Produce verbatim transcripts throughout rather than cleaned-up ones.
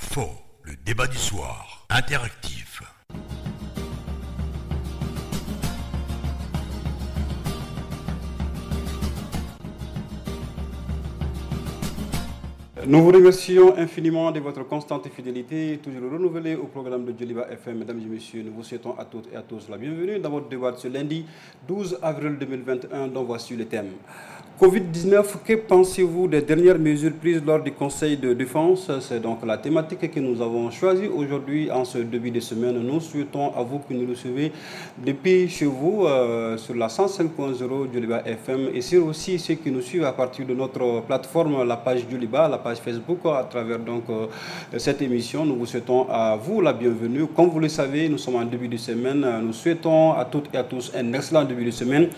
fɔ, le débat du soir, interactif. Nous vous remercions infiniment de votre constante fidélité, toujours renouvelée au programme de Djoliba F M. Mesdames et messieurs, nous vous souhaitons à toutes et à tous la bienvenue dans votre débat de ce lundi douze avril deux mille vingt et un, dont voici le thème. Covid dix-neuf, que pensez-vous des dernières mesures prises lors du Conseil de défense? C'est donc la thématique que nous avons choisie aujourd'hui en ce début de semaine. Nous souhaitons à vous que nous recevez depuis chez vous, euh, sur la cent cinq point zéro Djoliba F M et sur aussi ceux qui nous suivent à partir de notre plateforme, la page Djoliba, la page Facebook, à travers donc, euh, cette émission. Nous vous souhaitons à vous la bienvenue. Comme vous le savez, nous sommes en début de semaine. Nous souhaitons à toutes et à tous un excellent début de semaine.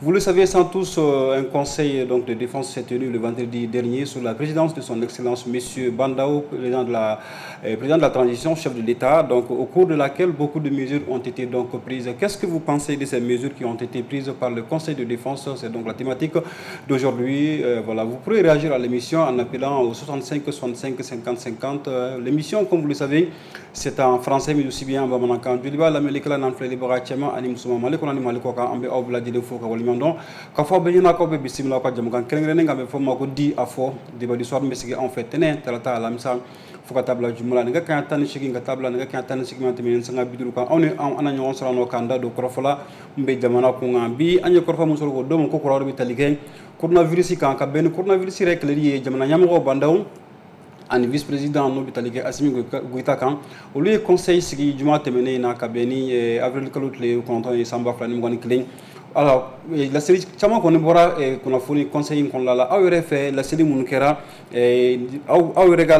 Vous le savez sans tous, euh, un conseil donc de défense s'est tenu le vendredi dernier sous la présidence de son Excellence Monsieur Bah N'Daw, président de la, euh, président de la transition, chef de l'État, donc au cours de laquelle beaucoup de mesures ont été donc prises. Qu'est-ce que vous pensez de ces mesures qui ont été prises par le Conseil de défense? C'est donc la thématique d'aujourd'hui. Euh, voilà, vous pourrez réagir à l'émission en appelant au soixante-cinq soixante-cinq cinquante cinquante. Euh, l'émission, comme vous le savez, c'est en français mais aussi bien en bamanankan. Djoliba lamɛnnikɛla n'an filɛlibaga cɛman ani musoman, Mali kɔnɔ ni Mali kɔ kan, an bɛ aw bɛɛ lajɛlen fo ka waleɲuman dɔn. K'a fɔ aw bɛɛ ɲɛna k'aw bɛ bisimila aw ka jamukan kɛrɛnkɛrɛnnen kan bɛ fɔ ma ko di a fɔ débat du soir min bɛ sigi anw fɛ tɛnɛn, tarata, alamisa fo ka taa bila juma la nɛgɛ kanɲɛ tan ni seegin ka taa bila nɛgɛ kanɲɛ tan ni seegin ma tɛmɛ sanga bi duuru kan. Anw ni anw an na ɲɔgɔn sɔrɔ nɔ k'an da don kɔrɔfɔ la min bɛ jamana kun kan. Bi an ye kɔrɔfɔ min sɔrɔ k'o d'o ma ko kɔrɔ bɛ tali kɛ coronavirus kan, ka bɛn ni coronavirus yɛrɛ kɛlɛli ye jamana ɲɛmɔgɔw Bah N'Daw ani vice-président n'o bɛ tali kɛ Assimi Goïta kan. Olu ye conseil sigi juma tɛmɛnen in na ka bɛn ni avril kalo tile kɔnɔntɔn ye san ba fila ni mugan ni kelen. Alors, laseli caman kɔni bɔra kunnafoni conseil in kɔnɔna la. Aw yɛrɛ fɛ laseli minnu kɛra, aw aw yɛrɛ ka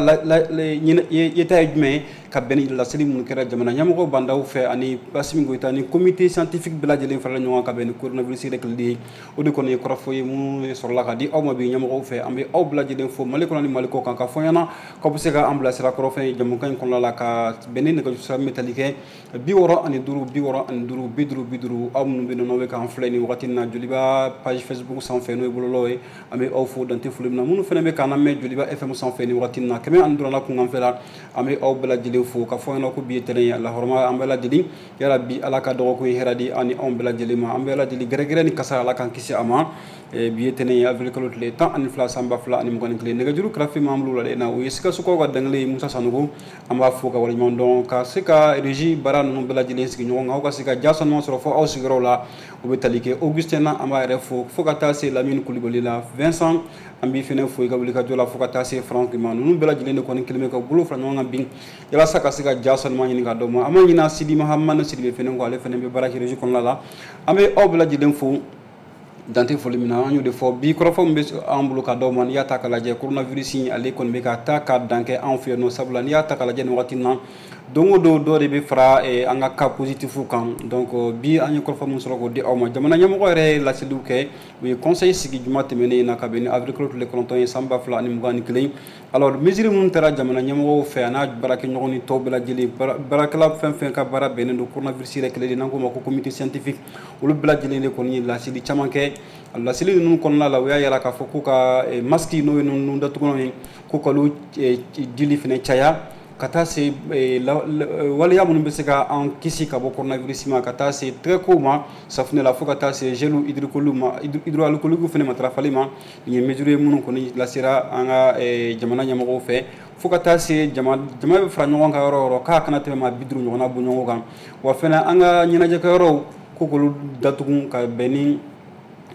yeta ye jumɛn ye ka bɛn ni laseli minnu kɛra jamana ɲɛmɔgɔ Bah N'Daw fɛ ani Assimi Goïta ni comité scientifique bɛɛ lajɛlen farala ɲɔgɔn kan ka bɛn ni coronavirus yɛrɛ kɛlɛli ye? O de kɔni ye kɔrɔfɔ ye minnu sɔrɔla ka di aw ma bi ɲɛmɔgɔw fɛ. An bɛ aw bɛɛ lajɛlen fo Mali kɔnɔ ni Mali kɔ kan, ka fɔ ɲɛna k'aw bɛ se ka an bilasira kɔrɔfɔ ye jamukan in kɔnɔna la ka bɛn ni nɛgɛjuru sira min bɛ tali kɛ bi wɔɔrɔ ani duuru bi wɔɔrɔ ani duuru bi duuru bi duuru. Aw minnu bɛ yen nɔ n'aw bɛ k'an filɛ nin wagati in na Djoliba page Facebook sanfɛ n'o ye bɔlɔlɔ ye, an bɛ aw fo dante foli min na. Minnu fana bɛ k'an lamɛn Djoliba F M sanfɛ nin wagati in na kɛmɛ ani duuru la kunkanfɛ la, an bɛ aw bɛɛ lajɛlen fo ka fɔ ɲɛna ko bi ye tɛnɛn ye. Alahɔrɔma an bɛɛ lajɛlen yarabi Ala ka dɔgɔkun ye hɛrɛ di an ni anw bɛɛ lajɛlen ma. An bɛɛ lajɛlen gɛrɛgɛrɛ ni kasara Ala k'an kisi a ma. Bi ye tɛnɛn ye avril kalo tile tan ani fila san ba fila ani mugan ni kelen. Nɛgɛjuru karafe m'an bolo la na o ye Sikasokaw ka dangelen ye Musa Sanogo. An b'a fo ka waleɲuman dɔn ka se ka régie baara ninnu bɛɛ lajɛlen sigi ɲɔgɔn kan, aw ka se ka ja sanuman sɔrɔ fo aw sigiyɔrɔ la. O bɛ tali kɛ Augustin na, an b'a yɛrɛ fo fo ka taa se Lamine Kulibali la, Vincent an b'i fɛnɛ fo i ka wulikajɔ la fo ka taa se Franck ma. Ninnu bɛɛ lajɛlen de kɔni kelen bɛ ka bolo fara ɲɔgɔn kan bi yalasa ka se ka ja sanuman ɲini ka d'aw ma. An ma ɲinɛ Sidi Mahamane Sidibe fɛnɛ kɔ, ale fɛnɛ bɛ baara kɛ régie kɔnɔna la. An bɛ aw bɛɛ lajɛlen fo dante foli min na. An y'o de fɔ bi kɔrɔfɔ min bɛ an bolo ka d'aw ma. N'i y'a ta k'a lajɛ coronavirus in ale kɔni bɛ ka taa ka dan kɛ anw fɛ yen nɔ, sabula n'i y'a ta k'a lajɛ nin wagati in na don o don dɔ de bɛ fara an ka cas positif kan. Donc bi an ye kɔrɔfɔ min sɔrɔ k'o di aw ma, jamana ɲɛmɔgɔ yɛrɛ ye laseliw kɛ, u ye conseil sigi juma tɛmɛnen in na ka bɛn ni avril kalo tile kɔnɔntɔn ye san ba fila ani mugan ni kelen. Alors mesure minnu taara jamana ɲɛmɔgɔw fɛ a n'a baarakɛɲɔgɔn ni tɔw bɛɛ lajɛlen, baarakɛla fɛn fɛn ka baara bɛnnen don coronavirus yɛrɛ kɛlɛli n'an k'o ma ko comité scientifique, olu bɛɛ lajɛlen de kɔni ye laseli caman kɛ. Laseli ninnu kɔnɔna la, u y'a yira k'a fɔ ko ka masque n'o ye nun datugulanw ye, ko k'olu dili fɛnɛ caya ka taa se waleya minnu bɛ se ka an kisi ka bɔ coronavirus ma, ka taa se tɛgɛkow ma safunɛ la, fo ka taa se gel hydroalcoolique ma, hydroalcoolique fɛnɛ matarafali ma. Nin ye mesure ye minnu kɔni lasera an ka jamana ɲɛmɔgɔw fɛ, fo ka taa se jama jama bɛ fara ɲɔgɔn kan yɔrɔ o yɔrɔ k'a kana tɛmɛ maa bi duuru ɲɔgɔnna bɔ ɲɔgɔn kan. Wa fɛnɛ an ka ɲɛnajɛkɛyɔrɔw ko k'olu datugu ka bɛn ni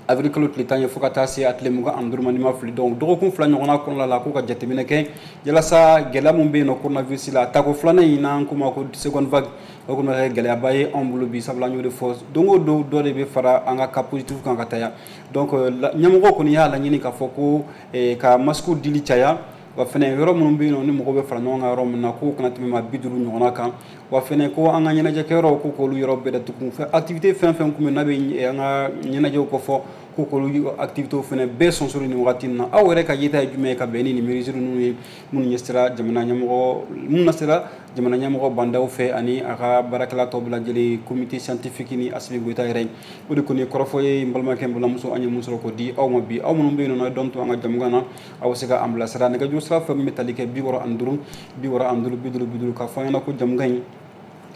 avril kalo tile tan ye fo ka taa se a tile mugan ani duuru ma n'i ma fili. Donc dɔgɔkun fila ɲɔgɔnna kɔnɔna la k'u ka jateminɛ kɛ yalasa gɛlɛya min bɛ yen nɔ coronavirus la, tako filanan in n'an k'o ma ko seconde vague, o kɔni bɛ kɛ gɛlɛyaba ye anw bolo bi, sabula an y'o de fɔ don o don dɔ de bɛ fara an ka cas positif kan ka taa. Donc ɲɛmɔgɔw kɔni y'a laɲini k'a fɔ ko ka masque dili caya, wa fɛnɛ yɔrɔ minnu bɛ yen nɔ ni mɔgɔw bɛ fara ɲɔgɔn kan yɔrɔ min na k'o kana tɛmɛ maa bi duuru ɲɔgɔnna kan. Wa fɛnɛ ko an ka ɲɛnajɛkɛyɔrɔw ko k'olu yɔrɔ bɛɛ datugu, activité fɛn fɛn kun bɛ n'a bɛ an ka ɲɛnajɛw kɔfɔ Ko k'olu activité fana bɛɛ sonsori nin wagati in na. Aw yɛrɛ ka yeta ye jumɛn ye ka bɛn ni nin mesure ninnu ye, minnu ɲɛsira jamana ɲɛmɔgɔ, minnu nasira jamana ɲɛmɔgɔ bandaw fɛ ani a ka baarakɛla tɔw bɛɛ lajɛlen, comité scientifique ni Assimi Goïta yɛrɛ? O de kɔni ye kɔrɔfɔ ye, n balimakɛ, n balimamuso, an ye mun sɔrɔ k'o di aw ma bi. Aw minnu bɛ yen nɔ, dɔn to an ka jamukan na, aw bɛ se ka an bilasira nɛgɛjuru sira fɛ min bɛ tali kɛ bi wɔɔrɔ ani duuru, bi wɔɔrɔ ani duuru, bi duuru, bi duuru, k'a fɔ an ɲɛna ko jamukan in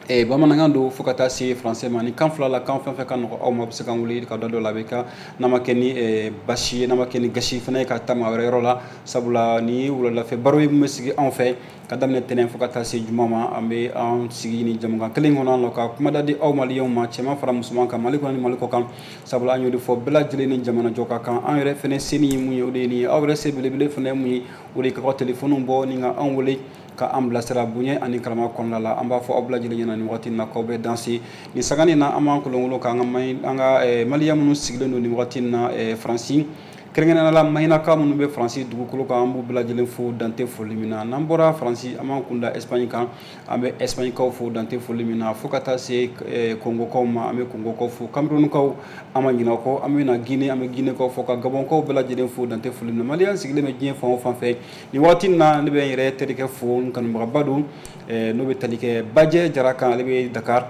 eh, bamanankan don fo ka taa se français ma. Ni kan fila la, kan fɛn fɛn ka nɔgɔ aw ma, a bɛ se k'an wele ka da dɔ la. A bɛ ka n'a ma kɛ ni eh, basi ye, n'a ma kɛ ni gasi fana ye, ka taa maa wɛrɛ yɔrɔ la, sabula ni ye wuladafɛ baro ye min bɛ sigi anw fɛ ka daminɛ tɛnɛn fo ka taa se juma ma. An bɛ an sigi ni jamukan kelen kɔnɔ nɔ ka kumada di aw maliyɛnw ma, cɛman fara musoman kan, Mali kɔnɔ ni Mali kɔ kan, sabula an y'o de fɔ, bɛɛ lajɛlen ni jamana jɔ ka kan. An yɛrɛ fɛnɛ se ni mun ye, o de ye nin ye. Aw yɛrɛ se belebele fɛnɛ ye mun ye? O de ye k'aw ka telefɔniw bɔ ni ka anw wele ka an bilasira bonya ani karama kɔnɔna la. An b'a fɔ aw bɛɛ lajɛlen ɲɛna nin wagati in na k'aw bɛ danse nin sanga na. An b'an kolonkolon k'an ka an ka maliyɛn minnu sigilen don nin wagati in na Faransi, kɛrɛnkɛrɛnnenya la Mahinaka minnu bɛ Faransi dugukolo kan, an b'u bɛɛ lajɛlen fo dante foli min na. N'an bɔra Faransi, an b'an kunda Espagne kan, an bɛ Espagnekaw fo dante foli min na, fo ka taa se Kongokaw ma, an bɛ Kongokaw fo, Camerounkaw, an ma ɲinɛ o kɔ. An bɛ na Guinée, an bɛ Guinéekaw fo, ka Gabɔnkaw bɛɛ lajɛlen fo dante foli min na. Maliyɛn sigilen bɛ diɲɛ fan o fan fɛ nin waati in na, ne bɛ n yɛrɛ terikɛ fo, n kanubagaba don, n'o bɛ tali kɛ Bajɛ Jara kan, ale bɛ Dakar,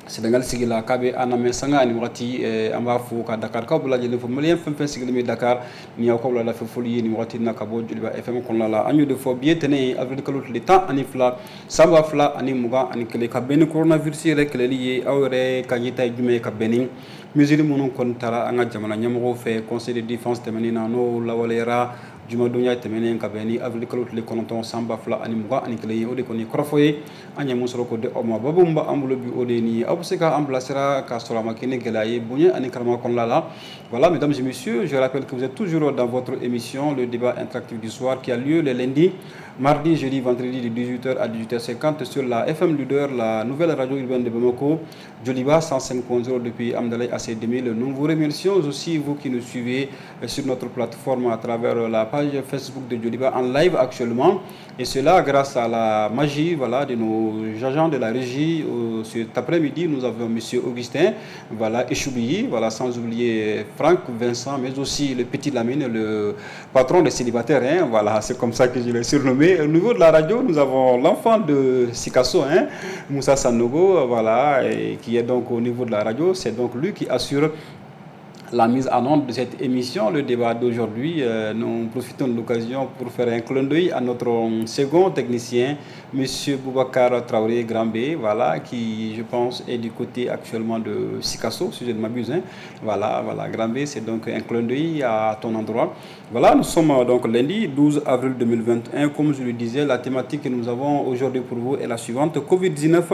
Sénégal sigi la, k'a bɛ an lamɛn sanga ani waati. An b'a fo ka Dakarikaw bɛɛ lajɛlen fo. Maliyɛn fɛn fɛn sigilen bɛ Dakar, nin y'aw ka wuladafɛ foli ye nin waati in na ka bɔ Joliba F M kɔnɔna la. An y'o de fɔ, bi ye tɛnɛn ye, avril kalo tile tan ani fila san ba fila ani mugan ani kelen, ka bɛn ni coronavirus yɛrɛ kɛlɛli ye. Aw yɛrɛ ka yeta ye jumɛn ye ka bɛn ni mesure minnu kɔni taara an ka jamana ɲɛmɔgɔw fɛ conseil de défense tɛmɛnen na, n'o lawaleyara jumadonya tɛmɛnen ka bɛn ni avril kalo tile kɔnɔntɔn san ba fila ani mugan ani kelen ye? O de kɔni kɔrɔfɔ ye an ye mun sɔrɔ k'o di aw ma. Babu min b'an bolo bi, o de ye nin ye. Aw bɛ se k'an bilasira k'a sɔrɔ a ma kɛ ni gɛlɛya ye, bonya ani karama kɔnɔna la. Voilà, mesdames et messieurs, je rappelle que vous êtes toujours dans votre émission Le débat interactif du soir, qui a lieu le lundi, mardi, jeudi, vendredi de dix-huit heures à dix-huit heures cinquante sur la F M Leader, la nouvelle radio urbaine de Bamako, Joliba cent cinq point zéro depuis Hamdallaye A C deux mille. Nous vous remercions aussi, vous qui nous suivez sur notre plateforme à travers la page Facebook de Joliba en live actuellement. Et cela grâce à la magie, voilà, de nos agents de la régie. Cet après-midi, nous avons monsieur. Augustin, voilà, Echoubi, voilà, sans oublier Franck, Vincent, mais aussi le petit Lamine, le patron des célibataires. Hein, voilà, c'est comme ça que je l'ai surnommé. Au niveau de la radio, nous avons l'enfant de Sikasso, hein, Moussa Sanogo, voilà, et qui est donc au niveau de la radio. C'est donc lui qui assure la mise en onde de cette émission, le débat d'aujourd'hui. Euh, nous profitons de l'occasion pour faire un clin d'œil à notre second technicien, monsieur. Boubacar Traoré Grambé, voilà, qui, je pense, est du côté actuellement de Sikasso, si je ne m'abuse. Hein. Voilà, voilà, Grambé, c'est donc un clin d'œil à ton endroit. Voilà, nous sommes donc lundi douze avril deux mille vingt et un. Comme je le disais, la thématique que nous avons aujourd'hui pour vous est la suivante. Covid dix-neuf,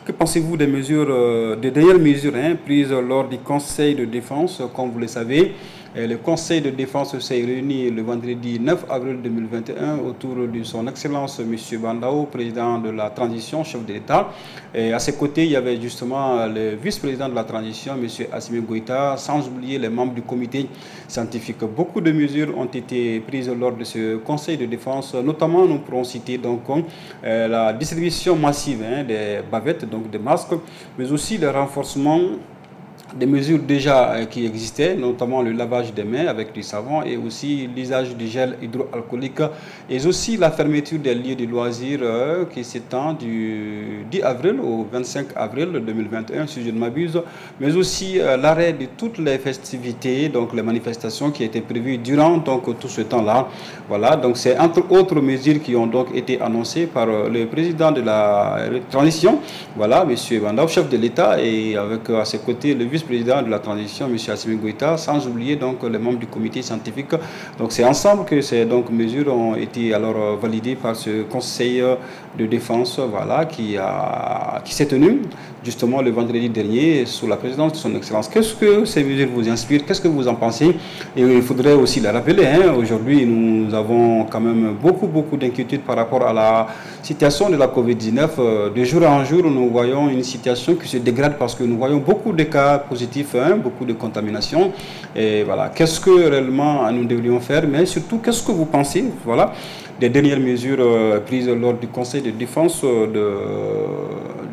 que pensez-vous des mesures, euh, des dernières mesures, hein, prises lors du Conseil de défense? Comme vous le savez, le Conseil de défense s'est réuni le vendredi neuf avril deux mille vingt et un autour de son Excellence monsieur. Bah N'Daw, président de la transition, chef de l'État. Et à ses côtés, il y avait justement le vice-président de la transition, monsieur. Assimi Goïta, sans oublier les membres du comité scientifique. Beaucoup de mesures ont été prises lors de ce Conseil de défense. Notamment, nous pourrons citer donc euh, la distribution massive, hein, des bavettes, donc des masques, mais aussi le renforcement des mesures déjà qui existaient, notamment le lavage des mains avec du savon et aussi l'usage du gel hydroalcoolique et aussi la fermeture des lieux de loisirs qui s'étend du dix avril au vingt-cinq avril deux mille vingt et un, si je ne m'abuse, mais aussi l'arrêt de toutes les festivités, donc les manifestations qui étaient prévues durant donc tout ce temps-là. Voilà, donc c'est entre autres mesures qui ont donc été annoncées par le président de la transition, voilà, monsieur. Bah N'Daw, chef de l'État, et avec à ses côtés le vice-président de la transition, monsieur. Assimi Goïta, sans oublier donc les membres du comité scientifique. Donc c'est ensemble que ces donc mesures ont été alors validées par ce Conseil de défense, voilà, qui a, qui s'est tenu justement le vendredi dernier sous la présidence de son Excellence. Qu'est-ce que ces mesures vous inspirent? Qu'est-ce que vous en pensez? Et il faudrait aussi le rappeler, hein, aujourd'hui, nous avons quand même beaucoup, beaucoup d'inquiétudes par rapport à la situation de la Covid dix-neuf. De jour en jour, nous voyons une situation qui se dégrade parce que nous voyons beaucoup de cas positifs, hein, beaucoup de contaminations. Et voilà, qu'est-ce que réellement nous devrions faire? Mais surtout, qu'est-ce que vous pensez, voilà, des dernières mesures euh, prises lors du Conseil de défense de,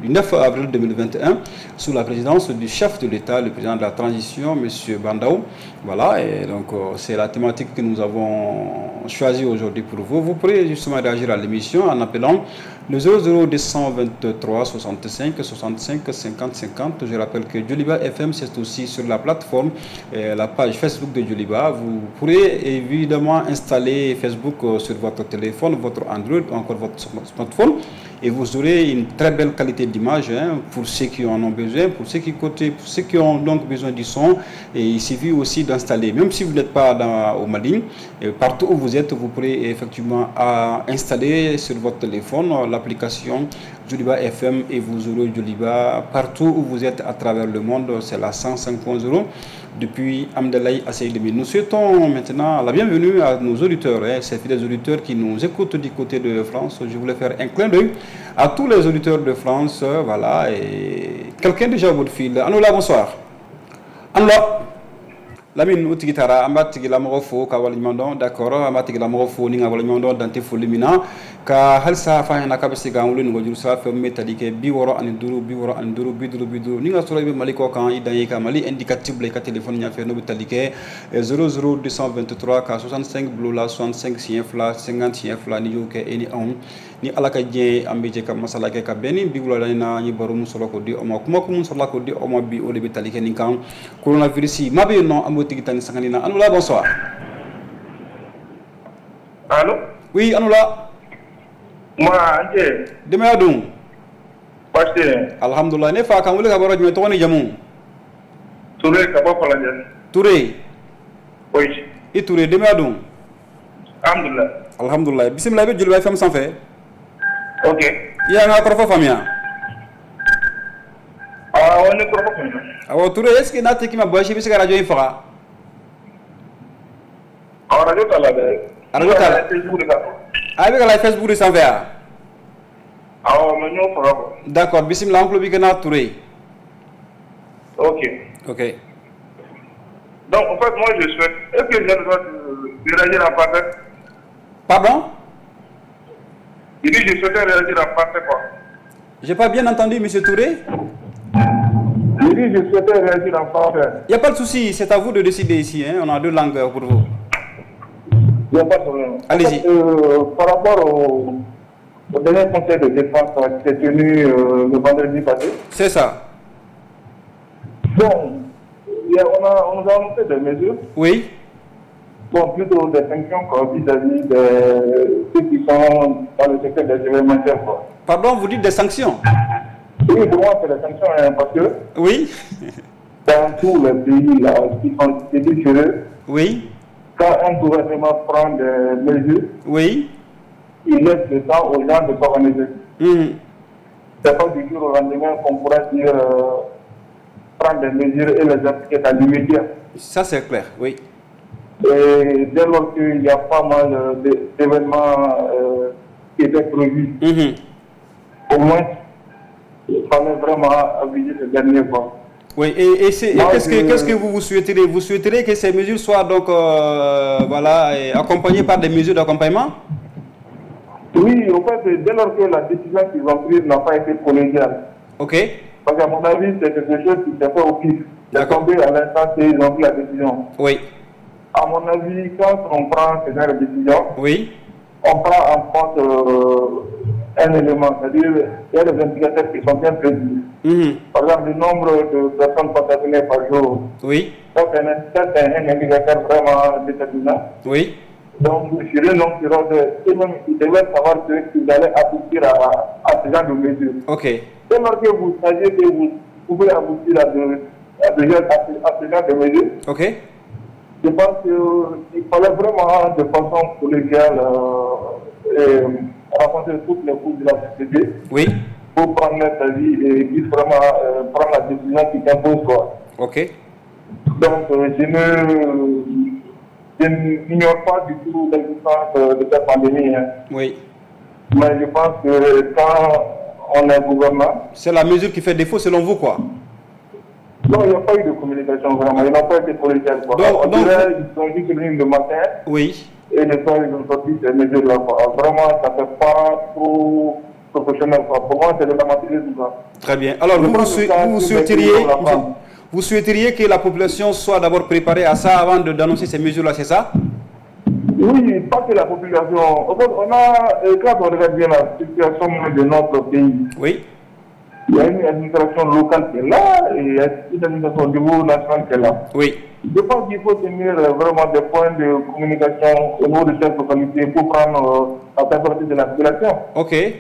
du neuf avril deux mille vingt et un sous la présidence du chef de l'État, le président de la transition, monsieur. Bandao. Voilà, et donc euh, c'est la thématique que nous avons choisie aujourd'hui pour vous. Vous pourrez justement réagir à l'émission en appelant le zéro zéro deux cent vingt-trois soixante-cinq soixante-cinq cinquante cinquante. Je rappelle que Djoliba F M, c'est aussi sur la plateforme, euh, la page Facebook de Djoliba. Vous pourrez évidemment installer Facebook euh, sur votre téléphone, votre Android ou encore votre smartphone, et vous aurez une très belle qualité d'image, hein, pour ceux qui en ont besoin, pour ceux qui côté, pour ceux qui ont donc besoin du son. Et il suffit aussi d'installer, même si vous n'êtes pas dans, au Mali, et partout où vous êtes, vous pourrez effectivement à installer sur votre téléphone l'application Djoliba F M et vous aurez Djoliba partout où vous êtes à travers le monde. C'est la cent cinq point zéro depuis Hamdallaye A C I deux mille. Nous souhaitons maintenant la bienvenue à nos auditeurs, hein, ces fidèles auditeurs qui nous écoutent du côté de France. Je voulais faire un clin d'œil à tous les auditeurs de France. Voilà, et quelqu'un déjà au bout de fil. Anoula, bonsoir. Anoula. Lamine o tigi taara, an b'a tigilamɔgɔ fo ka waleɲuman dɔn. D'accord, an b'a tigilamɔgɔ fo ni ka waleɲuman dɔn dante foli min na ka halisa f'a ɲɛna k'a bɛ se k'an wele nɛgɛjuru sira fɛ min bɛ tali kɛ bi wɔɔrɔ ani duuru bi wɔɔrɔ ani duuru bi duuru bi duuru. Ni ka sɔrɔ i bɛ Mali kɔ kan, i dan ye ka Mali indicatif bila i ka téléphone ɲɛfɛ, n'o bɛ tali kɛ zéro zéro deux cent vingt-trois ka soixante-cinq bilo la soixante-cinq siɲɛ fila cinquante siɲɛ fila. N'i y'o kɛ, e ni anw ni Ala ka diɲɛ ye, an bɛ jɛ ka masala kɛ ka bɛn ni bi wulada in na. An ye baro min sɔrɔ k'o di aw ma, kuma kun min sɔrɔla k'o di aw ma bi, o de bɛ tali kɛ nin kan, coronavirus. Maa bɛ yen nɔ, an b'o tigi ta ni sangani na. Anoula, bonsoir. Allô? Oui, Anoula. Moi, Ante. Denbaya dun? Baasi tɛ yen. Alhamdulillah. Ne fa, k'an wele ka bɔ yɔrɔ jumɛn, tɔgɔ ni jamu? Touré ka bɔ Falajɛ. Touré? Oui. I Touré, denbaya dun? Alhamdulillah. Alhamdulillah. Bisimila, i bɛ Djoliba F M sanfɛ. Ok. I y'an ka kɔrɔfɔ faamuya? Awɔ, ne kɔrɔfɔ faamuya. Awɔ, Touré, est ce que n'a tɛ k'i ma baasi, i bɛ se ka radio in faga? Awɔ, radio t'a la dɛ. Radio t'a la. Facebook de kan. A bɛ ka la Facebook de sanfɛ wa? Awɔ, mais n y'o faga quoi. D'accord, bisimila, an tulo b'i kan na, Touré. Ok. Ok. Donc, en fait, moi, je souhaite... Est-ce que j'ai le droit de réagir en français? Pardon? Il dit que je souhaitais réagir en français, quoi. J'ai pas bien entendu, monsieur Touré. Il dit que je souhaitais réagir en français. Il n'y a pas de souci, c'est à vous de décider ici, hein. On a deux langues pour vous. Il n'y a pas de problème. Allez-y. En fait, euh, par rapport au, au dernier conseil de défense qui s'est tenu euh, le vendredi passé. C'est ça. Bon, il y a, on, a, on nous a annoncé des mesures. Oui. Bon, plutôt des sanctions vis-à-vis de ceux qui sont dans le secteur des événementiels, quoi. Pardon, vous dites des sanctions? Oui, pour moi, c'est des sanctions, hein, parce que... Oui. Dans tous les pays là, qui sont chez eux, Oui. quand un gouvernement prend des mesures, Oui. il laisse le temps aux gens de s'organiser. Mmh. C'est pas du jour au lendemain qu'on pourra dire euh, prendre des mesures et les appliquer dans l'immédiat. Ça, c'est clair, oui. Et dès lors qu'il y a pas mal d'événements euh, qui étaient prévus, mmh. au moins, il fallait vraiment aviser ce dernier quoi. Oui, et, et, et qu'est-ce que, qu'est-ce que vous, vous souhaiterez? Vous souhaiterez que ces mesures soient donc, euh, voilà, accompagnées par des mesures d'accompagnement? Oui, en fait, dès lors que la décision qu'ils ont prise n'a pas été collégiale. Ok. Parce qu'à mon avis, c'est quelque chose qui s'est fait au pif. C'est tombé à l'instant qu'ils ont pris la décision. Oui. À mon avis, quand on prend ce genre de décision, oui. on prend en compte euh, un élément, c'est-à-dire qu'il y a des indicateurs qui sont bien précis. Mmh. Par exemple, le nombre de personnes contaminées par jour. Oui. Ça, c'est un, c'est un indicateur vraiment déterminant. Oui. Donc, sur une longue période, ils devaient savoir qu'ils allaient aboutir à, à ce genre de mesures. Ok. Dès lors que vous saviez que vous pouvez aboutir à, de, à, de, à, à ce genre de mesures, ok. Je pense qu'il fallait vraiment de façon collégiale euh, et rencontrer toutes les couches de la société. Oui. Pour prendre leur avis et puisse vraiment euh, prendre la décision qui s'impose, quoi. Ok. Donc, euh, je ne, je n'ignore pas du tout l'existence de cette pandémie. Hein. Oui. Mais je pense que quand on est gouvernement... C'est la mesure qui fait défaut selon vous, quoi. Non, il n'y a pas eu de communication vraiment. Ils n'ont pas été collégiales. Quoi. Donc, On donc, dirait, ils sont juste venus le matin. Oui. Et le soir, ils ont sorti ces mesures-là. Quoi. Vraiment, ça ne fait pas trop professionnel, quoi. Pour moi, c'est de l'amateurisme, quoi. Très bien. Alors, vous, vous, vous, souhaiteriez, vous, vous souhaiteriez que la population soit d'abord préparée à ça avant de, d'annoncer ces mesures-là, c'est ça? Oui, pas que la population. On a, quand on regarde bien la situation de notre pays, oui. Il y a une administration locale qui est là et il y a une administration au niveau national qui est là. Oui. Je pense qu'il faut tenir vraiment des points de communication au niveau de chaque localité pour prendre la température de la population. Ok. Et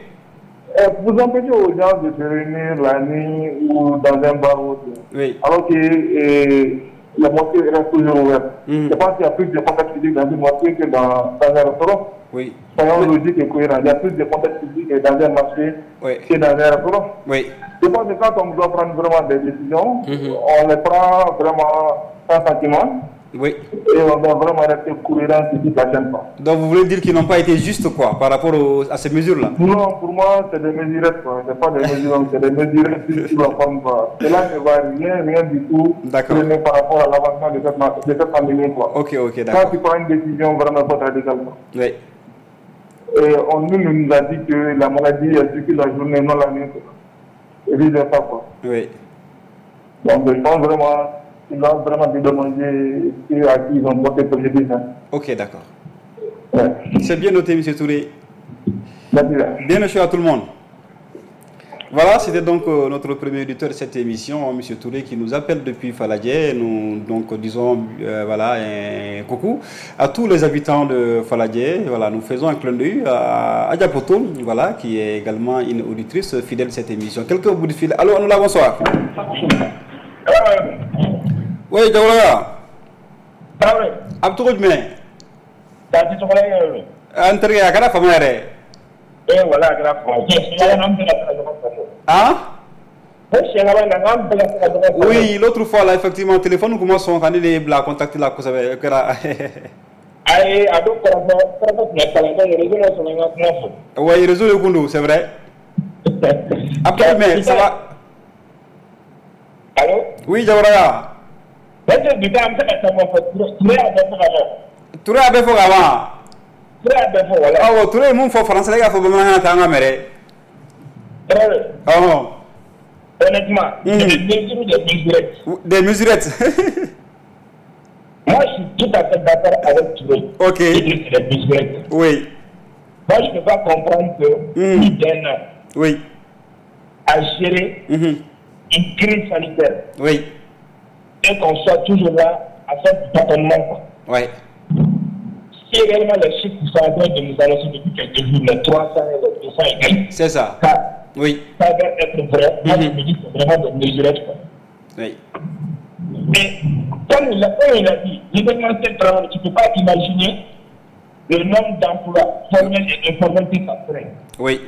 vous empêchez aux gens de se réunir la nuit ou dans un bar ou autre. Oui. Alors que et, la mosquée reste toujours ouverte. Mmh. Je pense qu'il y a plus de contacts physiques dans une mosquée que dans, dans un restaurant. Oui. Soyons logiques et cohérents. Il y a plus de contacts physiques dans un marché oui. que dans un restaurant. Oui. Je pense que quand on doit prendre vraiment des décisions, mmh. on les prend vraiment sans sentiment. Oui. Et on doit vraiment rester cohérent sur toute la chaîne. Donc vous voulez dire qu'ils n'ont pas été justes quoi, par rapport au, à ces mesures-là? Non, pour moi, c'est des mesurettes, quoi. C'est pas des mesures, c'est des mesurettes sur la forme, quoi. Cela ne va rien, rien du tout. D'accord. Par rapport à l'avancement de cette, de cette pandémie, quoi. Ok, ok, d'accord. Quand tu prends une décision vraiment pas radicale, quoi. Oui. Et on nous, nous a dit que la maladie, elle circule la journée, non la nuit, quoi. Et vice versa, quoi. Oui. Donc je pense vraiment... Ils doivent vraiment dédommager ceux à qui ils ont porté préjudice. Ok, d'accord. Ouais. C'est bien noté, M. Touré. Merci. Bien reçu à tout le monde. Voilà, c'était donc euh, notre premier auditeur de cette émission, M. Touré, qui nous appelle depuis Faladié. Nous donc disons euh, voilà, un coucou à tous les habitants de Faladié. Voilà, nous faisons un clin d'œil à Adja Poto, voilà, qui est également une auditrice fidèle de cette émission. Quelques bouts de fil. Allô, nous la bonsoir. Oui, Diawara. Traoré. A bɛ cogo jumɛn? K'a di tɔgɔ la yɛrɛ. An terikɛ a kɛra fama yɛrɛ. Ee wala a kɛra fama. Siɲɛ an bɛɛ ka se ka ɲɔgɔn faamu. Han? O siɲɛ laban in na k'an bɛɛ ka se ka ɲɔgɔn faamu. Oui, l'autre fois là effectivement téléphone kun ma sɔn ka ne de bila contact la kosɛbɛ o kɛra. Ayi a don kɔrɔfɔ kɔrɔfɔ tun ka kalan donc réseau ma sɔn ka n ka kuma fɔ. Oui, réseau de kun don, c'est vrai. A bɛ cogo jumɛn? Ça va? Allô? Oui, Diawara. Parce que bi an bɛ se ka caman fɔ Touré y'a bɛɛ fɔ ka ban. Touré y'a bɛɛ fɔ ka ban. Touré y'a bɛɛ fɔ wala. Awɔ Touré ye mun fɔ français la e k'a fɔ bamanankan na tan an ka mɛn dɛ. Traoré. Ɔhɔn. Honnêtement, mm. c'est des mesures, des mesurettes. Des mesurettes. Moi, je suis tout à fait d'accord avec Touré. Ok. C'est des mesurettes. Oui. Moi, je ne peux pas comprendre que mm. plus d'un an. Oui. À gérer mm-hmm. une crise sanitaire. Oui. Et qu'on soit toujours là à faire du tâtonnement. Oui. Si réellement les chiffres qui sont en train de nous annoncer depuis quelques jours, les trois cents et les deux cents et quelques, c'est ça. Ça, oui. Ça va être vrai. Moi, mm-hmm. je me dis que c'est vraiment des mesurettes. Quoi. Oui. Mais comme il a, comme il a dit, l'événementiel travail, tu ne peux pas imaginer le nombre d'emplois formels et informels que ça ferait. Oui.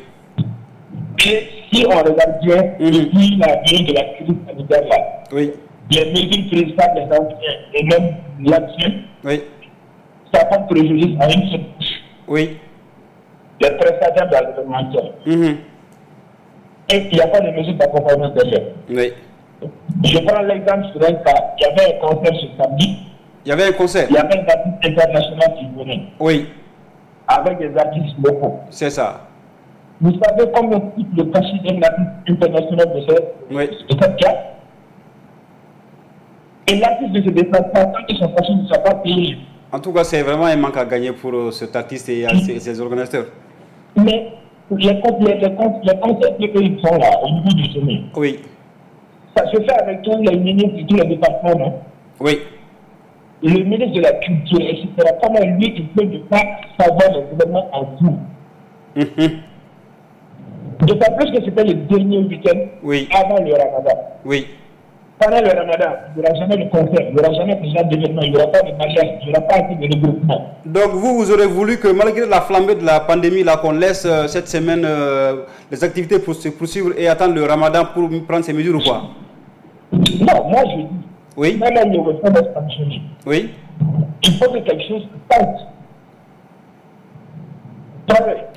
Et si on regarde bien, mm-hmm. depuis la venue de la crise sanitaire là, oui. les mesures prises par les anciens et même l'actuel, oui. ça porte préjudice à une seule couche. Oui. Les prestataires de l'événementiel. Mm-hmm. Et il n'y a pas de mesures d'accompagnement derrière. Oui. Je prends l'exemple sur un cas. Il y avait un concert ce samedi. Il y avait un concert. Il y avait un artiste international qui venait. Oui. Avec des artistes locaux. C'est ça. Vous savez combien coûte le cachet d'un artiste international de ce, oui. de cette cas? Et l'artiste ne se déplace pas tant que son cachet ne soit pas payé. En tout cas, c'est vraiment un manque à gagner pour cet artiste et ses, ses organisateurs. Mais les, les, les, les concerts qu'ils font là, au niveau du sommet, oui. ça se fait avec tous les ministres de tous les départements, non? Oui. Le ministre de la Culture, et cetera, comment lui, il peut ne pas savoir les événements en cours? Mm-hmm. D'autant plus que c'était le dernier week-end oui. avant le Ramadan. Oui. Pendant le Ramadan, il n'y aura jamais de concert, il n'y aura jamais de genre d'événement, il n'y aura pas de mariage, il n'y aura pas de regroupement. Donc vous, vous aurez voulu que malgré la flambée de la pandémie, là, qu'on laisse euh, cette semaine euh, les activités pour se poursuivre et attendre le Ramadan pour prendre ces mesures ou quoi? Non, moi je dis, oui. même le restaurant va fonctionner. Oui. Il faut que quelque chose se passe.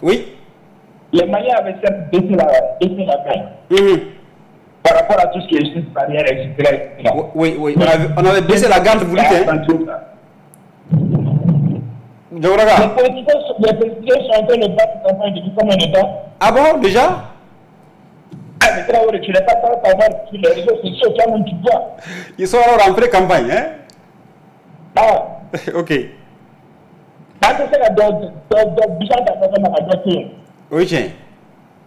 Oui. Les Maliens avaient certes baissé la, baissé la main. Mmh. Par rapport à tout ce qui est juste barrière, et cetera, et cetera. Oui, oui, on avait, on avait baissé la garde, vous dites, hein. Les politiciens, les politiciens sont en train de battre campagne depuis combien de temps? Ah bon, déjà? Ah, mais Traoré, tu n'es pas sans savoir sur les réseaux sociaux, toi-même tu vois. Ils sont alors en pré-campagne, hein? Ah. Ok. Oui, tiens.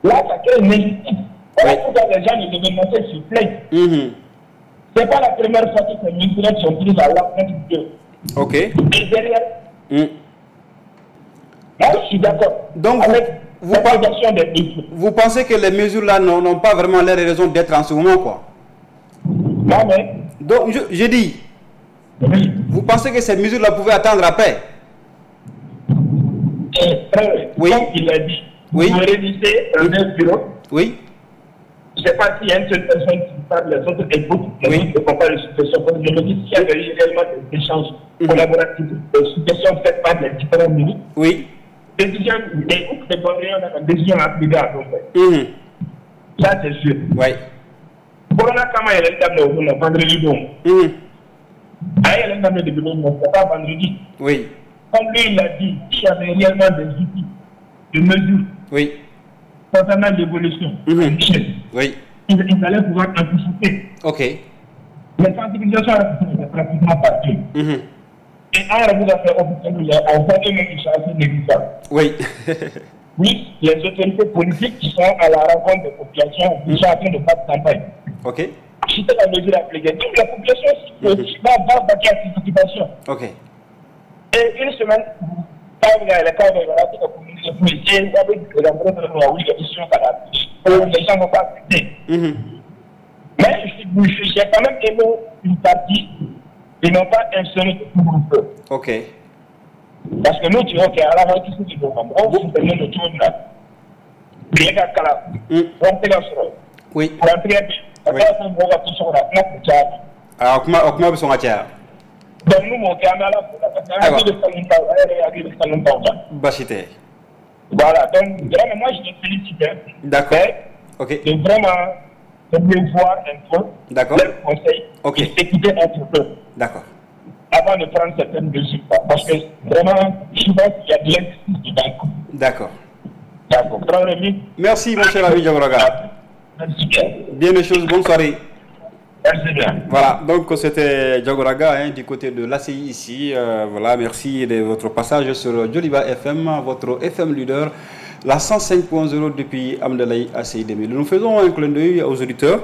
Là, ça crée une injustice. Voilà pourquoi les gens de l'événementiel se plaignent. Mm-hmm. Ce n'est pas la première fois que ces mesures sont prises à l'encontre d'eux. Ok. Et derrière, mm. Moi, je suis d'accord. Donc, avec vous, vous, des mesures. Vous pensez que les mesures-là n'ont pas vraiment l'air raison d'être en ce moment, quoi? Non, mais. Donc, je, je dis, oui. Vous pensez que ces mesures-là pouvaient attendre après? Eh, frère, oui. Comme il a dit, oui. Vous réunissez un bureau. Oui. Je ne sais pas s'il y a une seule personne qui parle, les autres écoutent, les oui. autres ne font pas les suggestions. Je me dis, s'il y avait eu réellement des échanges mm-hmm. collaboratifs, des suggestions faites par les différents ministres, oui. Décision, des décision à plus tard. Mm-hmm. Ça, c'est sûr. Oui. Corona, comment il est le vendredi, donc. Ah, il est le c'est pas vendredi. Oui. Comme lui, il a dit, s'il y avait réellement des outils de mesure. Oui. Concernant l'évolution, mm-hmm. Oui. Ils, ils allaient pouvoir anticiper. Ok. Les sensibilisations étaient pratiquement partout. Mm-hmm. Et un vous a fait officiellement, on voit eux-mêmes qu'ils sont assez négligeables. Oui. Oui, les autorités politiques qui sont à la rencontre des populations, ils sont en train de battre campagne. Ok. Si c'est la mesure appliquée, donc la population mm-hmm. va battre cette occupation. Ok. Et une semaine, les gens ne vont pas accepter. Mm-hmm. Mais j'ai quand même aimé une partie, ils n'ont pas instauré de couvre-feu. Ok. Parce que nous, tu vois qu'à la fin, tout ce qui est on vous de tout le monde. Oui. Ah, comment vous Donc nous, on est à la Bachité. Voilà, donc vraiment, moi je te félicite. D'accord. Ok. De vraiment de mieux voir un peu leurs conseils okay. Et s'écouter un peu. D'accord. Avant de prendre certaines mesures. Parce que vraiment, souvent, il y a de l'injustice dedans. D'accord. D'accord. Merci, mon cher ami Diagouraga. Merci bien. Bien des choses, bonne soirée. Merci bien. Voilà, donc c'était Diagouraga hein, du côté de l'A C I ici. Euh, voilà, merci de votre passage sur Djoliba F M, votre F M leader, la cent cinq point zéro depuis Amdalaye A C I deux mille. Nous faisons un clin d'œil aux auditeurs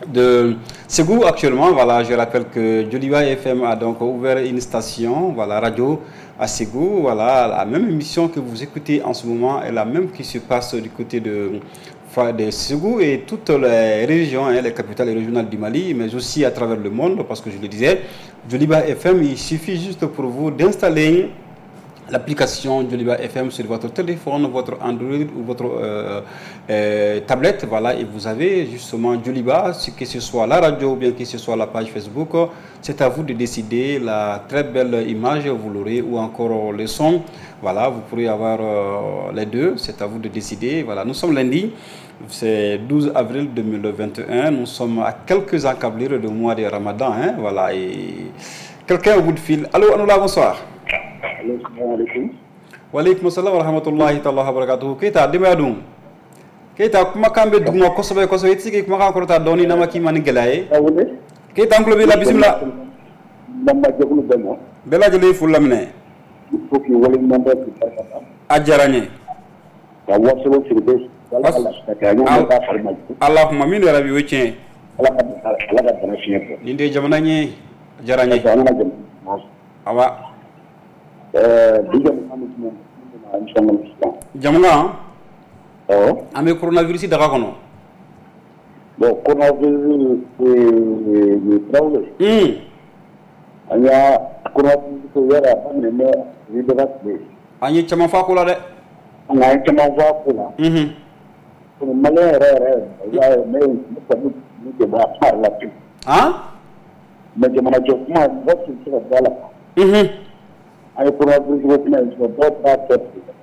de Ségou actuellement. Voilà, je rappelle que Djoliba F M a donc ouvert une station, voilà, radio à Ségou. Voilà, la même émission que vous écoutez en ce moment est la même qui se passe du côté de de Ségou et toutes les régions, hein, les capitales régionales du Mali, mais aussi à travers le monde, parce que je le disais, Djoliba F M, il suffit juste pour vous d'installer l'application Djoliba F M sur votre téléphone, votre Android ou votre euh, euh, tablette, voilà, et vous avez justement Djoliba, que ce soit la radio ou bien que ce soit la page Facebook, c'est à vous de décider la très belle image, vous l'aurez, ou encore le son, voilà, vous pourrez avoir euh, les deux, c'est à vous de décider. Voilà, nous sommes lundi, c'est douze avril deux mille vingt et un, nous sommes à quelques encablures du mois de Ramadan, hein, voilà, et quelqu'un au bout de fil. Allô, Anoula, bonsoir. Walaikum salam wa rahmatullahi ta'ala wa barakatuhu. Keita denbaya dun? Keita kumakan bɛ duguma kosɛbɛ kosɛbɛ, i tɛ se k'i kumakan kɔrɔta dɔɔni n'a ma k'i ma ni gɛlɛya ye. Keita an tulo b'i la, bisimila. Lamɛnjɛkulu bɛɛ ma. Bɛɛ lajɛlen foli laminɛ. Il faut k'i waleɲuman dɔn k'i barika da. A diyara n ye. Ka wasolon Sidibe. Allahumma min yarabi, o ye tiɲɛ ye. Ala ka Ala ka bana fiɲɛ bɔ. Nin de ye jamana ye, a diyara n ye. Awa. Jamana an bɛ coronavirus daga kɔnɔ. Bon coronavirus Tarawele. An y'a coronavirus yɛrɛ a daminɛ bɛ libéra tile. An ye caman fɔ a ko la dɛ. An ye caman fɔ a ko la. Maliyɛn yɛrɛ yɛrɛ i b'a ye ne ne kɔni ne tɛ bɔ a kuma yɛrɛ la pewu. Han. Mais jamanajɔ kuma mɔgɔ tun tɛ se ka bɔ a la. An ye coronavirus ko kuma in fɔ dɔw b'a kɛ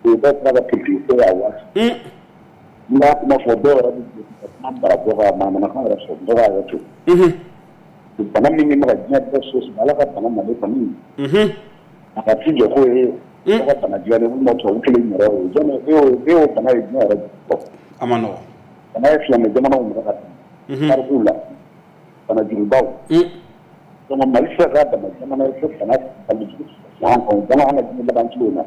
dɔw b'a kɛ politique ko ye a waati. N b'a kuma fɔ dɔw yɛrɛ bɛ ka kuma bara bɔ ka manamanakan yɛrɛ fɔ dɔw b'a yɛrɛ to. Bana min bɛ ka diɲɛ bɛɛ so sɔrɔ Ala ka bana nalen kɔni. A ka ci jɔ ko ye Dɔw ka bana dilanlen walima tubabu kelen yɛrɛ ye jɔn e y'o e y'o bana ye diɲɛ yɛrɛ a ma nɔgɔn bana ye silamɛ jamanaw minɛ ka tɛmɛ tarikuw la bana jugubaw donc Mali tɛ se ka k'a dama jamana ye ko bana balijugu an kɔnɔ bana an ka diɲɛ laban tile in na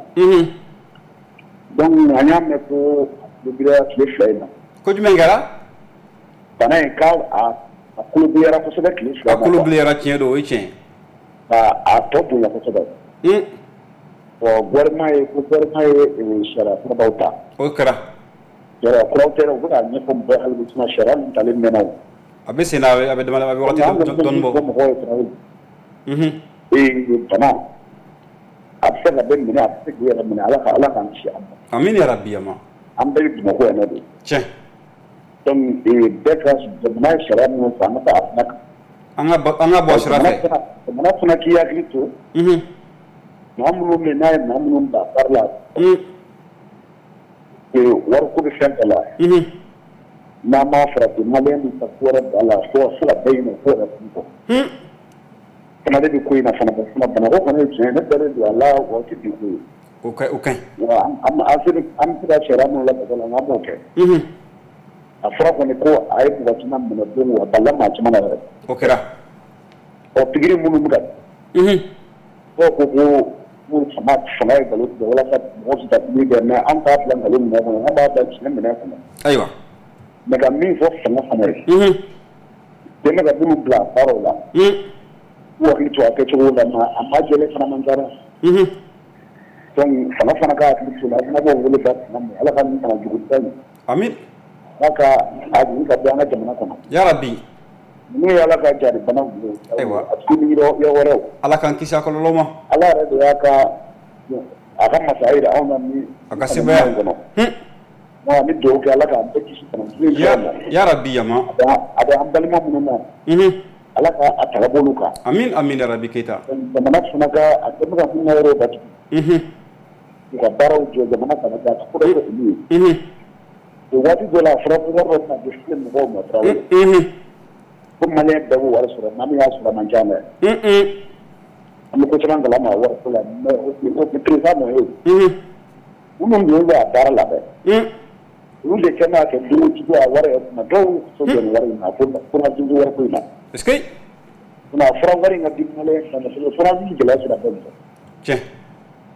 donc an y'a mɛn ko a tulo tile fila in na ko jumɛn kɛra bana in k'a a a kolo bileyara kosɛbɛ tile fila a kolo bileyara tiɲɛ don o ye tiɲɛ ka a tɔ bonya kosɛbɛ bon gouvernement ye ko gouvernement ye sariya kurabaw ta o kɛra sariya kuraw tɛ u bɛ k'a ɲɛfɔ mɔgɔw ye hali bi sinon sariya ninnu talen mɛnna o a bɛ sen na a bɛ dama a bɛ wagati dɔɔni bɔ mɔgɔw ye tarawele ee bana a bɛ se ka bɛɛ minɛ a bɛ se k'i yɛrɛ minɛ Ala ka Ala k'an kisi a ma amin ya rabbi ama an bɛɛ bɛ Bamakɔ yan nɔ de tiɲɛ donc bɛɛ ka jamana ye sariya minnu fɔ an ka taa a fana kan an ka an ka bɔ sira fɛ jamana fana k'i hakili to maa minnu bɛ yen n'a ye maa minnu bila baara la wariko bɛ fɛn bɛɛ la n'an m'a farati maliyɛn bɛ taa ko wɛrɛ bila la fo fo ka bɛɛ ɲinɛ ko yɛrɛ kun kɔ fana de bɛ ko in na fana fana banako kɔni ye tiɲɛ ye ne dalen don a la wa o tɛ bi ko ye o ka o ka ɲi wa an an bɛ se ka sariya minnu labato la an b'o kɛ a fɔra kɔni ko a ye mɔgɔ caman minɛ don o a balila maa caman na yɛrɛ o kɛra ɔ pikiri minnu bɛ ka dɔw ko ko ko fanga fanga ye nkalon tigɛ walasa mɔgɔw tɛ taa pikiri kɛ mais an t'a bila nkalon minɛ kɔnɔ an b'a bila tiɲɛ minɛ kɔnɔ ayiwa mais ka min fɔ fanga fana ye dɛmɛ ka minnu bila baaraw la k'u hakili to a kɛcogo la mais a ma jɛlen fana man ca dɛ donc fanga fana ka hakili to la an fana b'o wele bila fanga ma Ala ka nin kana juguba in amin Ala ka a jigin ka bɔ an ka jamana kɔnɔ ya rabbi ninnu ye Ala ka jari banaw ye ayiwa a tɛ ni yɔrɔ wɛrɛw Ala k'an kisi a kɔlɔlɔ ma Ala yɛrɛ de y'a ka a ka masaya jira anw na ni a ka sebaya kɔnɔ non an bɛ dugawu kɛ Ala k'an bɛɛ kisi bana jugu in ma ya rabbi yama a bɛ an balima minnu na Ala ka a ta ka bɔ olu kan amin amin ya rabbi Keyita jamana fana ka a bɛ ka minnu ka yɔrɔw datugu u ka baaraw jɔ jamana kana kɛ a ka ko dɔ kɛ olu ye o waati dɔ la a fɔra ko wari dɔ bɛna di filɛ mɔgɔw ma tarawele ko maliyɛn bɛɛ b'o wari sɔrɔ maa min y'a sɔrɔ a man ca dɛ an bɛ ko caman kalama a wari ko la mais o président nɔ ye minnu dun bɛ a baara la dɛ olu de kɛ n'a kɛ dugu a wari yɛrɛ kunna dɔw so jɔ nin wari in na ko coronavirus wari ko in na est-ce que a fɔra wari in ka di maliyɛn fana ma coronavirus gɛlɛya sera bɛɛ ma tiɲɛ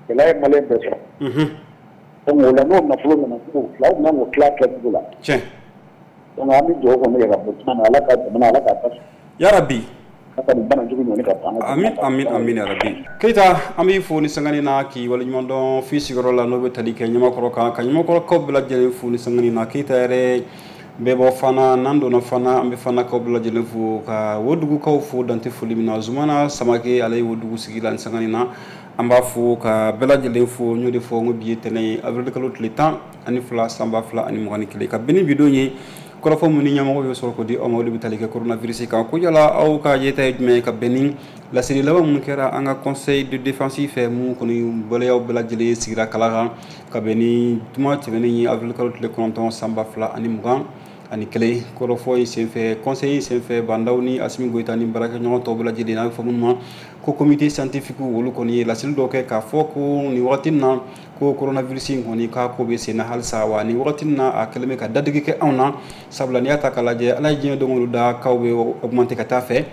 gɛlɛya ye maliyɛn bɛɛ sɔrɔ donc o la n'o nafolo nana k'o tila u bɛna o tila kɛcogo la tiɲɛ donc an bɛ dugawu kɔni kɛ ka bɔ kuma na Ala ka jamana Ala k'a basigi ya rabbi Ala ka nin bana jugu ɲɔni ka ban amin amin amin ya rabbi Keyita an b'i fo ni sangani na k'i waleɲuman dɔn f'i sigiyɔrɔ la n'o bɛ tali kɛ Ɲamakɔrɔ kan ka Ɲamakɔrɔkaw bɛɛ lajɛlen fo ni sangani na Keyita yɛrɛ bɛɛ bɔ fana n'an donna fana an bɛ fanakaw bɛɛ lajɛlen fo ka Wodugukaw fo dante foli min na Zumana Samake ale ye Wodugu sigi la ni sangani na an b'a fo ka bɛɛ lajɛlen fo n y'o de fɔ n ko bi ye tɛnɛn ye avril kalo tile tan ani fila san ba fila ani mugan ni kelen ka bɛn ni bi don ye kɔrɔfɔ minnu ni ɲɛmɔgɔ bɛ sɔrɔ k'o di aw ma olu bɛ tali kɛ coronavirus kan ko yala aw ka yeta ye jumɛn ye ka bɛn ni laseli laban minnu kɛra an ka conseil de défense fɛ mun kɔni waleyaw bɛɛ lajɛlen sigira kala kan ka bɛn ni juma tɛmɛnen ye avril kalo tile kɔnɔntɔn san ba fila ani mugan ani kelen kɔrɔfɔ in senfɛ conseil in senfɛ Bandaw ni Asimi Goyita ni baarakɛɲɔgɔn tɔw bɛɛ lajɛlen n'a bɛ fɔ minnu ma ko comité scientifique olu kɔni ye laseli dɔ kɛ k'a fɔ ko nin wagati in na ko coronavirus in kɔni k'a ko bɛ sen na halisa wa nin wagati in na a kɛlen bɛ ka dadigi kɛ anw na sabula n'i y'a ta k'a lajɛ Ala ye diɲɛ don o don da kaw bɛ augmenter ka taa fɛ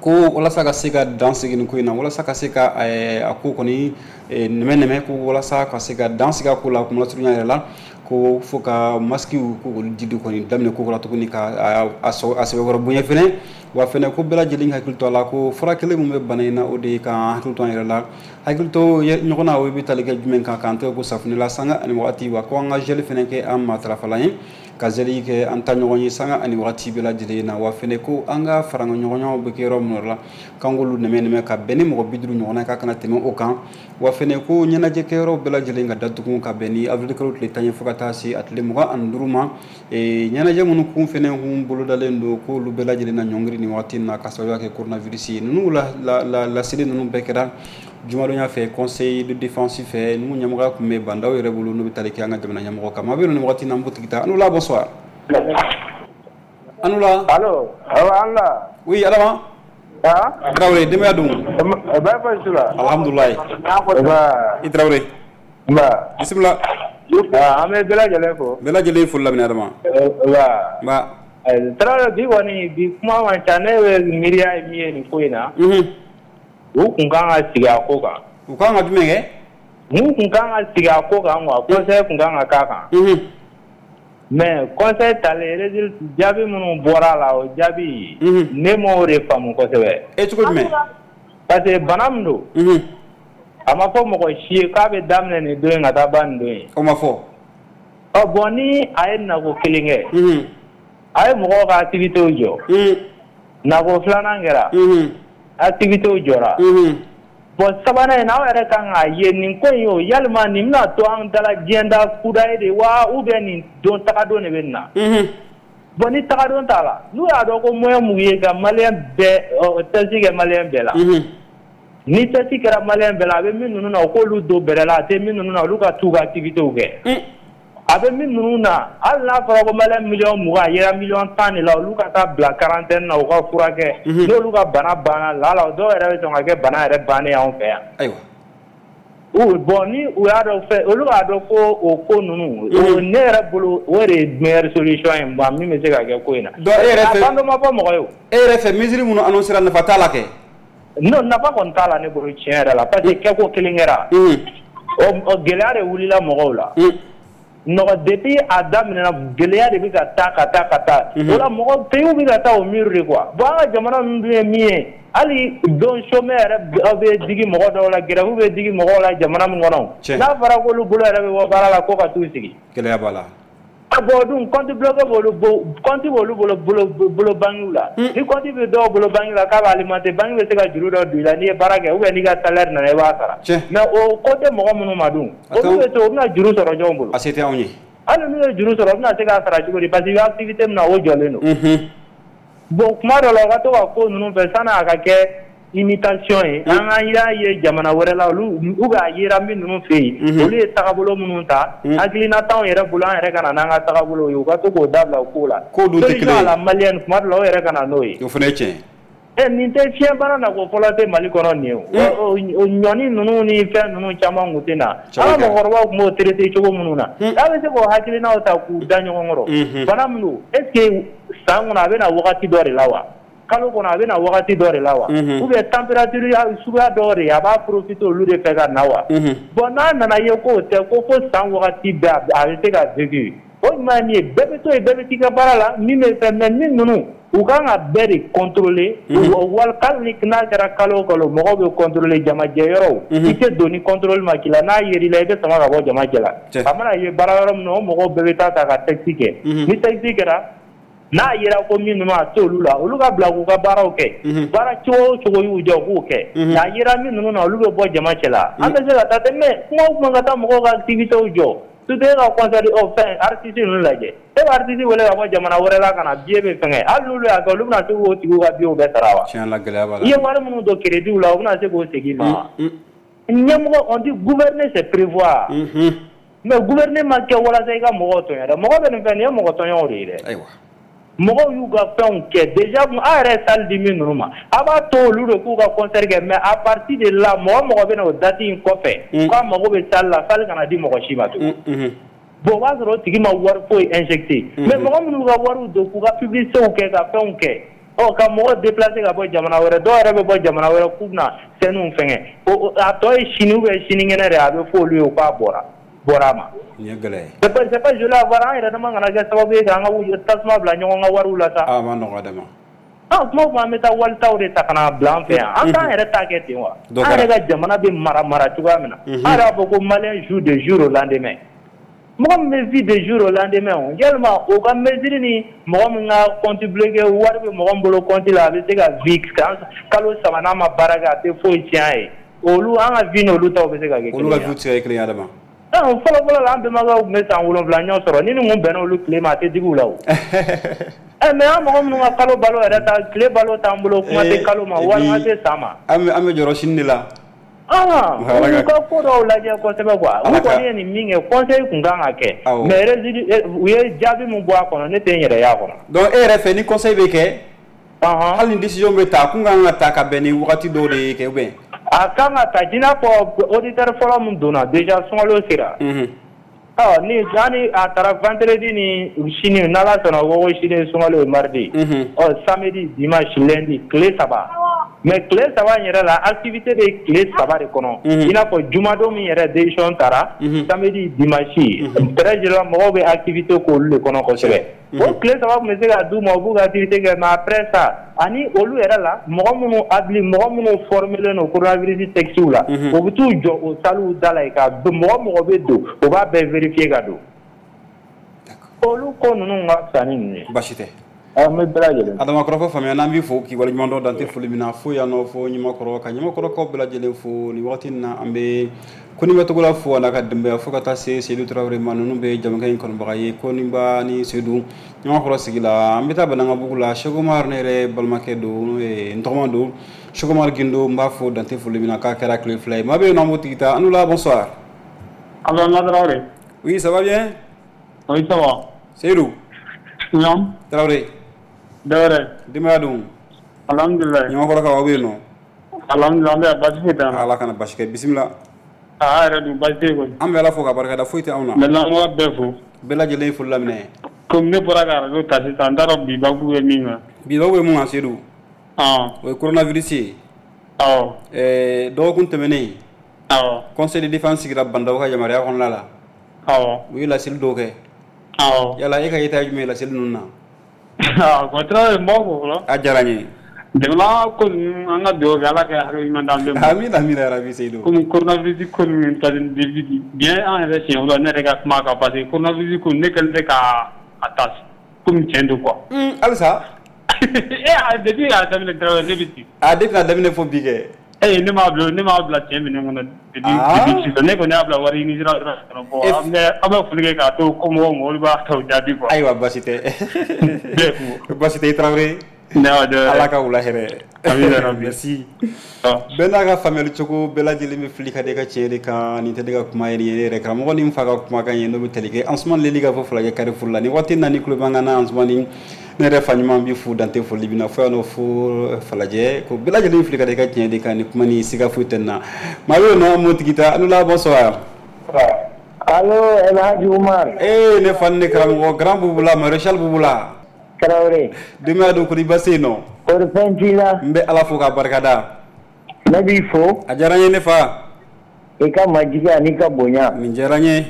ko walasa ka se ka dan sigi nin ko in na walasa ka se ka a ko kɔni nɛmɛ nɛmɛ ko walasa ka se ka dan sigi a ko la kuma lasurunya yɛrɛ la ko fo ka masque ko olu dili kɔni daminɛ ko kura tuguni ka a sɛbɛkɔrɔ bonya fɛnɛ wa fɛnɛ ko bɛɛ lajɛlen hakili to a la ko fura kelen min bɛ bana in na o de ye k'an hakili to an yɛrɛ la hakili to ɲɔgɔn na o bɛ tali kɛ jumɛn kan k'an tɛgɛ ko safunɛ la sanga ani wagati wa ko an ka gel fɛnɛ kɛ an matarafalan ye ka gel kɛ an ta ɲɔgɔn ye sanga ani wagati bɛɛ lajɛlen na wa fɛnɛ ko an ka fara ɲɔgɔnyaw bɛ kɛ yɔrɔ min la k'an k'olu nɛmɛ nɛmɛ ka bɛn ni mɔgɔ bi duuru ɲɔgɔnna k'a kana tɛmɛ o kan wa fɛnɛ ko ɲɛnajɛ kɛyɔrɔ bɛɛ lajɛlen ka datugu ka bɛn ni avril kalo tile tan ye fo ka taa se a tile mugan ani duuru ma ɲɛnajɛ minnu kun fɛnɛ kun bolodalen don k'olu bɛɛ lajɛlen na ɲɔngiri nin waati in na ka sababuya kɛ coronavirus ye ninnu la la laseli ninnu bɛɛ kɛra jumadonya fɛ conseil de défense fɛ ninnu ɲɛmɔgɔya tun bɛ Bandaw yɛrɛ bolo n'u bɛ tali kɛ an ka jamana ɲɛmɔgɔ kan maa bɛ nin waati in na an b'o tigi ta Anula bonsoir Anula Allo awɔ Anula oui Adama Ah Traoré denbaya dun? Bɛɛ baasi la? Alhamdulilayi. Nba. I Traoré. Nba. Bisimila. An bɛ bɛɛ lajɛlen fo. Bɛɛ lajɛlen foli laminɛ Adama. Nba. Nba. Traoré bi kɔni bi kuma man ca, ne bɛ miiriya ye min ye nin ko in na. Unhun. U kun kan ka sigi a ko kan. U kan ka jumɛn kɛ? Mun kun kan ka sigi a ko kan quoi, conseil kun kan ka k'a kan. Unhun. Mais conseil talen, résultat jaabi minnu bɔra a la, o jaabi ne m'o de faamu kosɛbɛ. E cogo jumɛn? Parce que bana min don. Unhun. A ma fɔ mɔgɔ si ye k'a bɛ daminɛ nin don in ka taa ban nin don in. O ma fɔ. Ɔ bon, ni a ye nako kelen kɛ. Unhun. A ye mɔgɔw ka activités jɔ. Un. Nako filanan kɛra. Unhun. Activités jɔra. Unhun. Bon, sabanan in, aw yɛrɛ kan k'a ye nin ko in, o yalima nin bɛna to an dala diɲɛ da kudayi de wa, ou bien nin don tagadon de bɛ nin na? Unhun. Bon, ni tagadon t'a la, n'u y'a dɔn ko moyen m'u ye ka malien bɛɛ test kɛ malien bɛɛ la. Unhun. Ni test kɛra malien bɛɛ la, a bɛ min ninnu na, u k'olu don bɛrɛ la, a tɛ min ninnu na, olu ka t'u ka activités kɛ. A bɛ min ninnu na, hali n'a fɔra ko malien miliyɔn mugan, a yera miliyɔn tan de la, olu ka taa bila quarantaine na, u ka furakɛ. N'olu ka bana banna la la, dɔw yɛrɛ bɛ sɔn ka kɛ bana yɛrɛ bannen y'anw fɛ yan. Ayiwa. Ou bon, ni u y'a dɔn fɛn, olu b'a dɔn ko o ko ninnu, ne yɛrɛ bolo, o de ye meilleure solution ye min bɛ se ka kɛ ko in na. Donc e yɛrɛ fɛ, a ban dɔ ma fɔ mɔgɔ ye o. E yɛrɛ fɛ, mesure minnu annoncé ra, nafa t'a la kɛ? Non, nafa kɔni t'a la ne bolo tiɲɛ yɛrɛ la, parce que kɛko kelen kɛra. O gɛlɛya de wulila mɔgɔw la. Nɔgɔ depuis a daminɛna, gɛlɛya de bɛ ka taa ka taa ka taa. O la mɔgɔ pays bɛ ka taa o mur de quoi. Bon, an ka jamana ninnu dun ye min ye, hali don chômeur yɛrɛ bɛ digi mɔgɔ dɔw la, grève bɛ digi mɔgɔw la jamana min kɔnɔ. N'a fɔra k'olu bolo yɛrɛ bɛ bɔ baara la ko ka t'u sigi. Gɛlɛya b'a la. Ah bon, dun compte bloqué b'olu compte b'olu bolo bolo bolo banque la. Ni compte bɛ dɔw bolo banque la k'a b'a alimenter, banque bɛ se ka juru dɔ don i la n'i ye baara kɛ, ou bien n'i ka salaire nana i b'a sara. Mais o ko tɛ mɔgɔ minnu ma dun, olu bɛ to, u bɛna juru sɔrɔ jɔn bolo? A se tɛ anw ye. Hali n'u ye juru sɔrɔ, u bɛna se k'a sara cogo di? Parce que i bɛ activité min na, o jɔlen don. Bon, kuma dɔ la, u ka to ka ko ninnu fɛ sanni a ka kɛ imitation ye, an ka y'a ye jamana wɛrɛ la, olu ou bien a yera min ninnu fɛ yen, olu ye tagabolo minnu ta, hakilina t'anw yɛrɛ bolo, an yɛrɛ ka na n'an ka tagabolo ye, u ka to k'o dabila o ko la. Ko dun tɛ kelen ye. Solution à la malienne, kuma dɔ la, o yɛrɛ ka na n'o ye. O fana ye tiɲɛ ye. Ɛ nin tɛ fiɲɛbana na ko fɔlɔ tɛ Mali kɔnɔ nin ye o. Ɲɔni ninnu ni fɛn ninnu caman kun tɛ na. An ka mɔgɔkɔrɔbaw tun b'o traiter cogo minnu na, a bɛ se k'o hakilinaw ta k'u da ɲɔgɔn kɔrɔ. Bana min don, est ce que san kɔnɔ a bɛ na wagati dɔ de la wa? Kalo kɔnɔ a bɛ na wagati dɔ de la wa? Ou bien température suguya dɔw de a b'a profiter olu de fɛ ka na wa? Bon, n'a nana ye k'o tɛ ko fo san wagati bɛɛ a bɛ se ka vécu. O ɲuman ye min ye, bɛɛ bɛ to yen, bɛɛ bɛ t'i ka baara la, min bɛ fɛn, mais min ninnu u kan ka bɛɛ de contrôler. Wali hali ni n'a kɛra kalo o kalo, mɔgɔw bɛ contrôler jamajɛ yɔrɔw. I tɛ don ni contrôle ma k'i la, n'a yer'i la, i bɛ sama ka bɔ jama cɛ la. A mana ye baara yɔrɔ min na, o mɔgɔw bɛɛ bɛ taa ta ka test kɛ. Ni test kɛra, n'a yera ko min ninnu a t'olu la, olu ka bila k'u ka baaraw kɛ. Baara cogo o cogo y'u jɔ, u k'o kɛ. N'a yera min ninnu na, olu bɛ bɔ jama cɛ la. An bɛ se ka taa ten, mais kuma o kuma ka taa mɔgɔw ka activités jɔ. Surtout e ka concert o fɛn artiste ninnu lajɛ. E bɛ artiste wele ka bɔ jamana wɛrɛ la ka na, billet bɛ fɛngɛ. Hali n'olu y'a kɛ, olu bɛna se k'o tigiw ka billet bɛɛ sara wa? Tiɲɛ la, gɛlɛya b'a la. I ye wari minnu don crédit la, u bɛna se k'o segin i ma wa? Ɲɛmɔgɔ, on dit gouverner c'est prévoir. Mais gouverner ma kɛ walasa i ka mɔgɔw tɔɲɔ dɛ. Mɔgɔ bɛ nin fɛn nin ye mɔgɔ tɔɲɔw de ye dɛ. Ayiwa. Mɔgɔw y'u ka fɛnw kɛ déjà, a yɛrɛ salle di min ninnu ma, a b'a to olu de k'u ka concert kɛ, mais à partir de là, mɔgɔ mɔgɔ bɛ na o date in kɔfɛ k'a mago bɛ salle la, salle kana di mɔgɔ si ma tugun. Bon, o b'a sɔrɔ o tigi ma wari foyi injecté. Mais mɔgɔ minnu ka wariw don k'u ka publicité kɛ ka fɛnw kɛ, ɔ ka mɔgɔ déplacer ka bɔ jamana wɛrɛ, dɔw yɛrɛ bɛ bɔ jamana wɛrɛ k'u bɛna scène fɛngɛ, a tɔ ye sini ou bien sinikɛnɛ de, a bɛ fɔ olu ye k'a bɔra bɔra a ma. Nin ye gɛlɛya ye. C'est pas c'est pas joli à voir, an yɛrɛ dama kana kɛ sababu ye k'an ka tasuma bila ɲɔgɔn ka wariw la sa. A ma nɔgɔ dɛ ma. Ah, kuma o kuma an bɛ taa walitaw de ta ka na bila an fɛ yan. An t'an yɛrɛ ta kɛ ten wa? An yɛrɛ ka jamana bɛ mara mara cogoya min na. An yɛrɛ b'a fɔ ko malien joue de jour au lendemain. Mɔgɔ min bɛ vit de jour au lendemain, o yalima o ka mesure ni mɔgɔ min ka compte bloqué, wari bɛ mɔgɔ min bolo compte la, a bɛ se ka vit kalo saba n'a ma baara kɛ, a tɛ foyi tiɲɛ a ye. Olu an ka vie n'olu taw bɛ se ka kɛ kelen ye. Olu ka vie tɛ se ka kɛ kelen ye Adama. Fɔlɔ fɔlɔ la, an bɛnbakɛw tun bɛ san wolonwula ɲɔ sɔrɔ, ni nin kun bɛnna olu tile ma, a tɛ digi u la o. Ɛ mais an mɔgɔ minnu ka kalo balo yɛrɛ ta, tile balo t'an bolo, kuma tɛ kalo ma, walima tɛ san ma. An bɛ an bɛ jɔrɔ sini de la. Ah, u ka ko dɔw lajɛ kosɛbɛ quoi. U kɔni ye nin min kɛ, conseil kun kan ka kɛ. Mais résultat, u ye jaabi min bɔ a kɔnɔ, ne tɛ n yɛrɛ y'a kɔnɔ. Donc e yɛrɛ fɛ, ni conseil bɛ kɛ? Hali ni décision bɛ ta kun kan ka ta ka bɛn ni wagati dɔw de ye kɛ ou bien. A kan ka ta i n'a fɔ auditeur fɔlɔ min donna déjà sunkalo sera. Ɔ ni yani a taara vendredi ni sini n'Ala sɔnna o ko sini sunkalo ye mardi. Ɔ samedi dimanche lundi tile saba. Mais tile saba in yɛrɛ la activité bɛ tile saba de kɔnɔ. I n'a fɔ jumadon min yɛrɛ décision taara. Samedi dimanche très généralement mɔgɔw bɛ activité k'olu de kɔnɔ kosɛbɛ. O tile saba tun bɛ se ka d'u ma u b'u ka activité kɛ mais après ça ani olu yɛrɛ la mɔgɔ minnu habili mɔgɔ minnu formé don coronavirus textes la. U bɛ t'u jɔ o salles da la yen ka mɔgɔ mɔgɔ bɛ don u b'a bɛɛ vérifier ka don. Olu ko ninnu ka fisa ni ninnu ye. Baasi tɛ. An bɛ bɛɛ lajɛlen. Adama kɔrɔfɔ faamuya n'an b'i fo k'i waleɲuman dɔn dan tɛ foli min na fo yan nɔ fo Ɲamakɔrɔ ka Ɲamakɔrɔkaw bɛɛ lajɛlen fo nin wagati in na an bɛ Koniba Togola fo a n'a ka denbaya fo ka taa se Seydou Traoré ma ninnu bɛ jamukan in kanubaga ye Koniba ni Seydou Ɲamakɔrɔ sigi la an bɛ taa Banankabugu la Cheikh Omar ne yɛrɛ balimakɛ don n'o ye n tɔgɔma don Cheikh Omar Gindo n b'a fo dan tɛ foli min na k'a kɛra tile fila ye maa bɛ yen nɔ an b'o tigi ta an la bonsoir. Allo Traoré. Oui, ça va bien? Oui, ça va. Seydou. Non. Traoré. Dawɛrɛ. Denbaya dun? Alhamdulilayi. Ɲamakɔrɔkaw aw bɛ yen nɔ? Alhamdulilayi an bɛ yan baasi foyi t'an na. Ala kana basi kɛ bisimila. Aa yɛrɛ dun baasi tɛ yen kɔni. An bɛ Ala fo k'a barikada foyi tɛ anw na. N bɛ lamɛnbaga bɛɛ fo. Bɛɛ lajɛlen ye foli laminɛ. Komi ne bɔra ka arajo ta sisan n t'a dɔn bi babu bɛ min kan. Bi babu bɛ mun kan Seydou? Ɔn. O ye coronavirus ye. Awɔ. Ɛɛ dɔgɔkun tɛmɛnen. Awɔ. Conseil de défense sigira Bandaw ka yamaruya kɔnɔna la. Awɔ. U ye laseli dɔw kɛ. Awɔ. Yala e ka yeta ye jumɛn ye laseli ninnu na? Bon Traoré n b'aw fo fɔlɔ. A diyara n ye. Jamana ko ninnu an ka dugawu kɛ Ala ka hakili ɲuman d'an bɛɛ ma. Amina amina yarabi Seydou. Komi coronavirus ko ninnu ta bien an yɛrɛ siɲɛ fɔlɔ ne yɛrɛ ka kuma kan parce que coronavirus ko ne kɛlen tɛ ka a ta komi tiɲɛ don quoi. Halisa. E depuis a daminɛ Traoré ne bɛ ten. A depuis a daminɛ fo bi kɛ. Eh ne m'a bila ne m'a bila tiɲɛ minɛn kɔnɔ depuis depuis sisan ne kɔni y'a bila wari ɲini sira kɔnɔ bon an bɛ an bɛ foli kɛ k'a to komɔgɔw ma olu b'a tɔw jaabi quoi. Ayiwa baasi tɛ. Baasi tɛ i Traoré. Ala ka wula hɛrɛ. Amina merci. Bɛɛ n'a ka faamuyali cogo bɛɛ lajɛlen bɛ fili ka da i ka tiɲɛ de kan nin tɛ ne ka kuma ye nin ye ne yɛrɛ karamɔgɔ ni n fa ka kumakan ye n'o bɛ tali kɛ Ansoumane Leli ka fɔ Falajɛ Carrefour la nin waati in na ni tulo b'an kan na Ansoumane ne yɛrɛ fa ɲuman b'i fo dan tɛ foli min na fo yan nɔ fo Falajɛ ko bɛɛ lajɛlen fili ka da i ka tiɲɛ de kan ni kuma ni siga foyi tɛ nin na maa bɛ yen nɔ an b'o tigi ta an la bonsoir. Allo El Hadji Oumar. Eh ne fa ni ne karamɔgɔ grand Bubula maréchal Bubula. Traoré. Denbaya dun kɔni baasi tɛ yen nɔ? Kɔri fɛn t'i la? N bɛ Ala fo k'a barikada. Ne b'i fo. A diyara n ye ne fa. I ka majigin an'i ka bonya. Nin diyara n ye.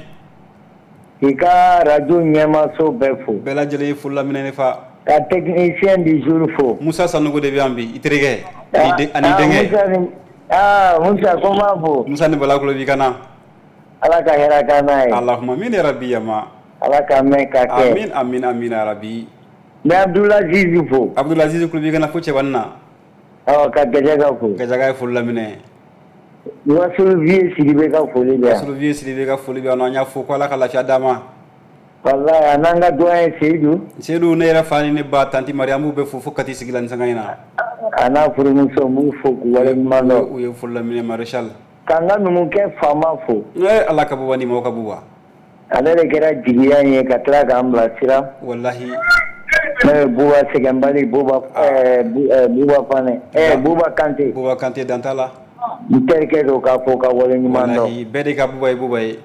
I ka radio ɲɛmaso bɛɛ fo. Bɛɛ lajɛlen ye foli laminɛ ne fa. Ka technicien du jour fo. Musa Sanogo de bɛ yan bi i terikɛ. Ani denkɛ. Aa Musa ko n b'a fo. Musa ni Bala kulo b'i kan na. Ala ka hɛrɛ k'an n'a ye. Allahumma amin ya rabbi yama. Ala k'a mɛn ka kɛ. Amin amin amin ya rabbi. N bɛ Abdulaziz fo. Abdulaziz kulo b'i kan na fo Cɛbani na. Awɔ ka Gajaga fo. Gajaga ye foli laminɛ. Wasulu Vieux Sidibe ka foli bɛ yan. Wasulu Vieux Sidibe ka foli bɛ yan nɔ an y'a fo ko Ala ka lafiya d'a ma. Walahi a n'an ka doyen Seydou. Seydou ne yɛrɛ fa ni ne ba tanti Mariam an b'u bɛɛ fo fo Kati sigi la nin sanga in na. A n'a furumuso n b'u fo k'u waleɲuman dɔn. U ye foli laminɛ maréchal. K'an ka numukɛ faama fo. Ee Ala ka buba ni maaw ka buba. Ale de kɛra jigiya in ye ka tila k'an bilasira. Walahi. Ne ye Buba Sɛgɛnbali Buba ɛɛ Buba Fanɛ ɛɛ Buba Kante. Buba Kante dan t'a la. N terikɛ don k'a fo ka waleɲuman dɔn. Walahi bɛɛ de ka Buba ye Buba ye.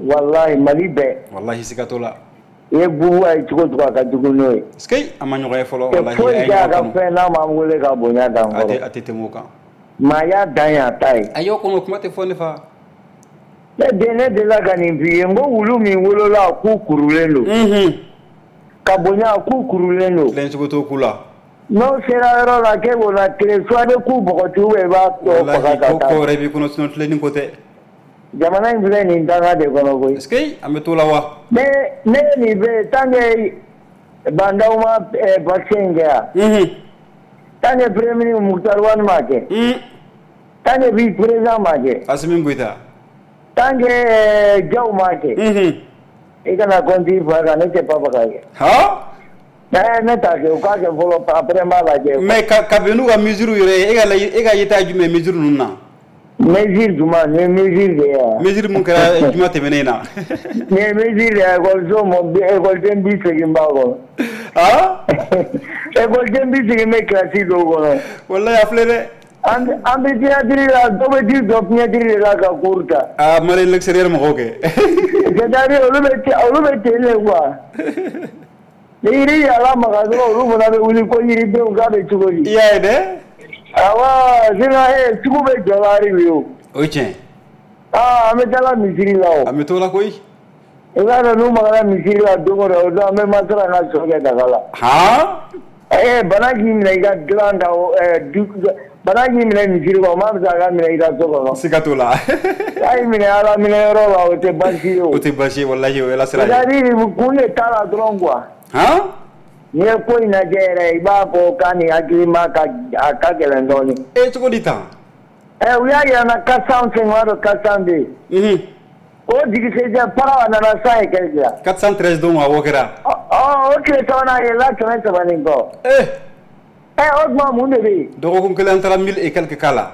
Walahi Mali bɛɛ. Walahi siga t'o la. I ye Buba ye cogo o cogo a ka jugu n'o ye. Sikei a ma ɲɔgɔn ye fɔlɔ. Walahi foyi tɛ a ka fɛn n'a m'an wele ka bonya d'an kɔrɔ. A tɛ a tɛ tɛmɛ o kan. Maaya dan y'a ta ye. Ayi o kɔni kuma tɛ fɔ ne fa. Ne den ne delila ka nin f'i ye n ko wulu min wolola a ku kurulen don. Unhun. Ka bonya a ku kurulen don. Tilen cogo t'o ku la. N'o sera yɔrɔ la k'e b'o la tilen soit i bɛ ku bɔgɔti ou bien i b'a tɔ faga ka taa. Ko wɛrɛ b'i kɔnɔ sinon tilenni ko tɛ. Jamana in filɛ nin danga de kɔnɔ koyi. Est-ce que an bɛ t'o la wa? Ne ne ye nin bɛ tant que Bandaw ma vaccin in kɛ yan. Unhun. Tant que premier ministre Moctar Ouane m'a kɛ. Un. Tant que vice président m'a kɛ. Assimi Goïta. Tant que Diaw m'a kɛ. Unhun. I kana compte i fa kan ne tɛ Papa ka kɛ. Han. Eh ne t'a kɛ u k'a kɛ fɔlɔ après n b'a lajɛ. Mais ka kabini n'u ka mesure yɛrɛ ye e ka e ka yeta ye jumɛn ye mesure ninnu na? Mesure jumɛn nin ye mesure de ye wa? Mesure mun kɛra juma tɛmɛnen in na. Nin ye mesure de ye ekɔliso mɔ ekɔliden bi seegin b'a kɔnɔ. Ah? Ekɔliden bi seegin bɛ kilasi dɔw kɔnɔ. Walayi a filɛ dɛ. An an bɛ fenêtre la dɔw bɛ t'i jɔ fenêtre de la ka cours ta. Ah Mali l'extérieur mɔgɔw kɛ. C'est-à-dire olu bɛ olu bɛ ten de quoi. Ni yiri y'a lamaga dɔrɔn olu fana bɛ wuli ko yiridenw k'a bɛ cogo di. I y'a ye dɛ. Awɔ sinon ee sugu bɛ jɔ la hali bi o. O ye tiɲɛ. Aa an bɛ taa misiri la o. An bɛ t'o la koyi. I b'a dɔn n'u magara misiri la don o don o don an bɛ masala ka sɔ kɛ daga la. Han. Ee bana k'i minɛ i ka dilan kan o ɛɛ du bana k'i minɛ misiri kɔnɔ o ma fisa a ka minɛ i ka so kɔnɔ. Siga t'o la. K'a y'i minɛ Ala minɛ yɔrɔ la o tɛ baasi ye o. O tɛ baasi ye walahi o ye Ala sira ye. C'est-à-dire kun de t'a la dɔrɔn quoi. Han. N'i ye ko in lajɛ yɛrɛ i b'a fɔ k'a ni hakilima ka a ka gɛlɛn dɔɔnin. E cogo di tan. Ɛ u y'a yira n na quatre cent cinq o y'a quatre cent deux. Unhun. O dugusɛjɛ para a nana cent et quelque la. quatre cent treize don awɔ kɛra. Ɔ ɔ o tile sabanan a yɛlɛla kɛmɛ saba ni kɔ. Ee. Ɛ o tuma mun de bɛ yen. Dɔgɔkun kelen an taara mille et quelque k'a la.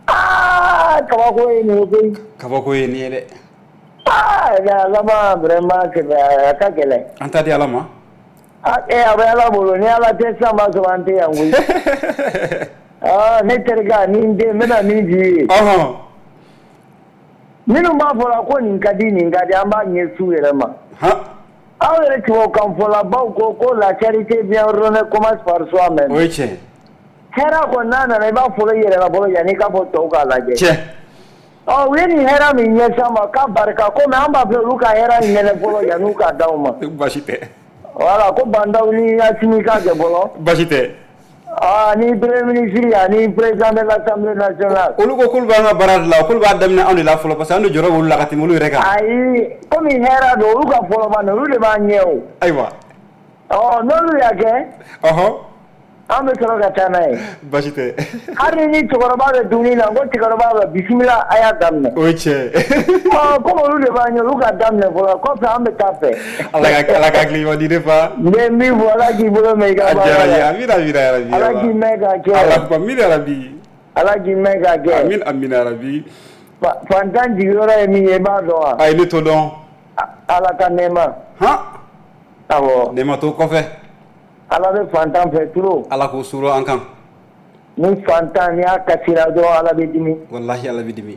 Aa kabako ye nin ye koyi. Kabako ye nin ye dɛ. Aa a laban vraiment a ka gɛlɛn. An ta di Ala ma. A a bɛ Ala bolo ni Ala tɛ sisan b'a sɔrɔ an tɛ yan koyi. Aa ne terikɛ ni n den n bɛna min f'i ye. Ɔhɔn. Minnu b'a fɔ la ko nin ka di nin ka di an b'a ɲɛsin u yɛrɛ ma. Han. Aw yɛrɛ tubabukanfɔlabaw ko ko la charité bien ordonnée commence par soi-même. O ye tiɲɛ ye. Hɛrɛ kɔni n'a nana i b'a fɔlɔ i yɛrɛ la fɔlɔ yanni i k'a fɔ tɔw k'a lajɛ. Tiɲɛ. Ɔ u ye nin hɛrɛ min ɲɛsin an ma k'a barika komi an b'a fɛ olu ka hɛrɛ in ɲɛnɛ fɔlɔ yanni u k'a d'anw ma. Baasi tɛ. Voilà ko Bandaw ni Asimi ka kɛ fɔlɔ. Baasi tɛ. Ah ni premier ministre ani président de l'Assemblée nationale. Olu ko k'olu b'an ka baara de la k'olu b'a daminɛ anw de la fɔlɔ parce que an de jɔyɔrɔ b'olu la ka tɛmɛ olu yɛrɛ kan. Ayi komi hɛrɛ don olu ka fɔlɔ ma olu de b'an ɲɛ o. Ayiwa. Ɔ n'olu y'a kɛ. Ɔhɔn. An bɛ sɔrɔ ka taa n'a ye. Baasi tɛ. Hali ni cɛkɔrɔba bɛ dumuni na ko cɛkɔrɔba bɛ bisimila a y'a daminɛ. O ye tiɲɛ ye. Ɔ komi olu de b'an ɲɛ olu ka daminɛ fɔlɔ kɔfɛ an bɛ taa fɛ. Ala ka Ala ka hakili ɲuman di ne fa. N bɛ min fɔ Ala k'i bolo mɛn i ka baara la. A diyara n ye amina amina yarabi. Ala k'i mɛn k'a kɛ. Allahumma amina yarabi. Ala k'i mɛn k'a kɛ. Amin amina yarabi. Fantan jigiyɔrɔ ye min ye i b'a dɔn wa. Ayi ne t'o dɔn. Ala ka nɛɛma. Han. Awɔ. Nɛɛma t'o kɔfɛ. Ala bɛ fantan fɛ trop. Ala k'o suru an kan. Ni fantan n'i y'a kasira dɔrɔn Ala bɛ dimi. Walahi Ala bɛ dimi.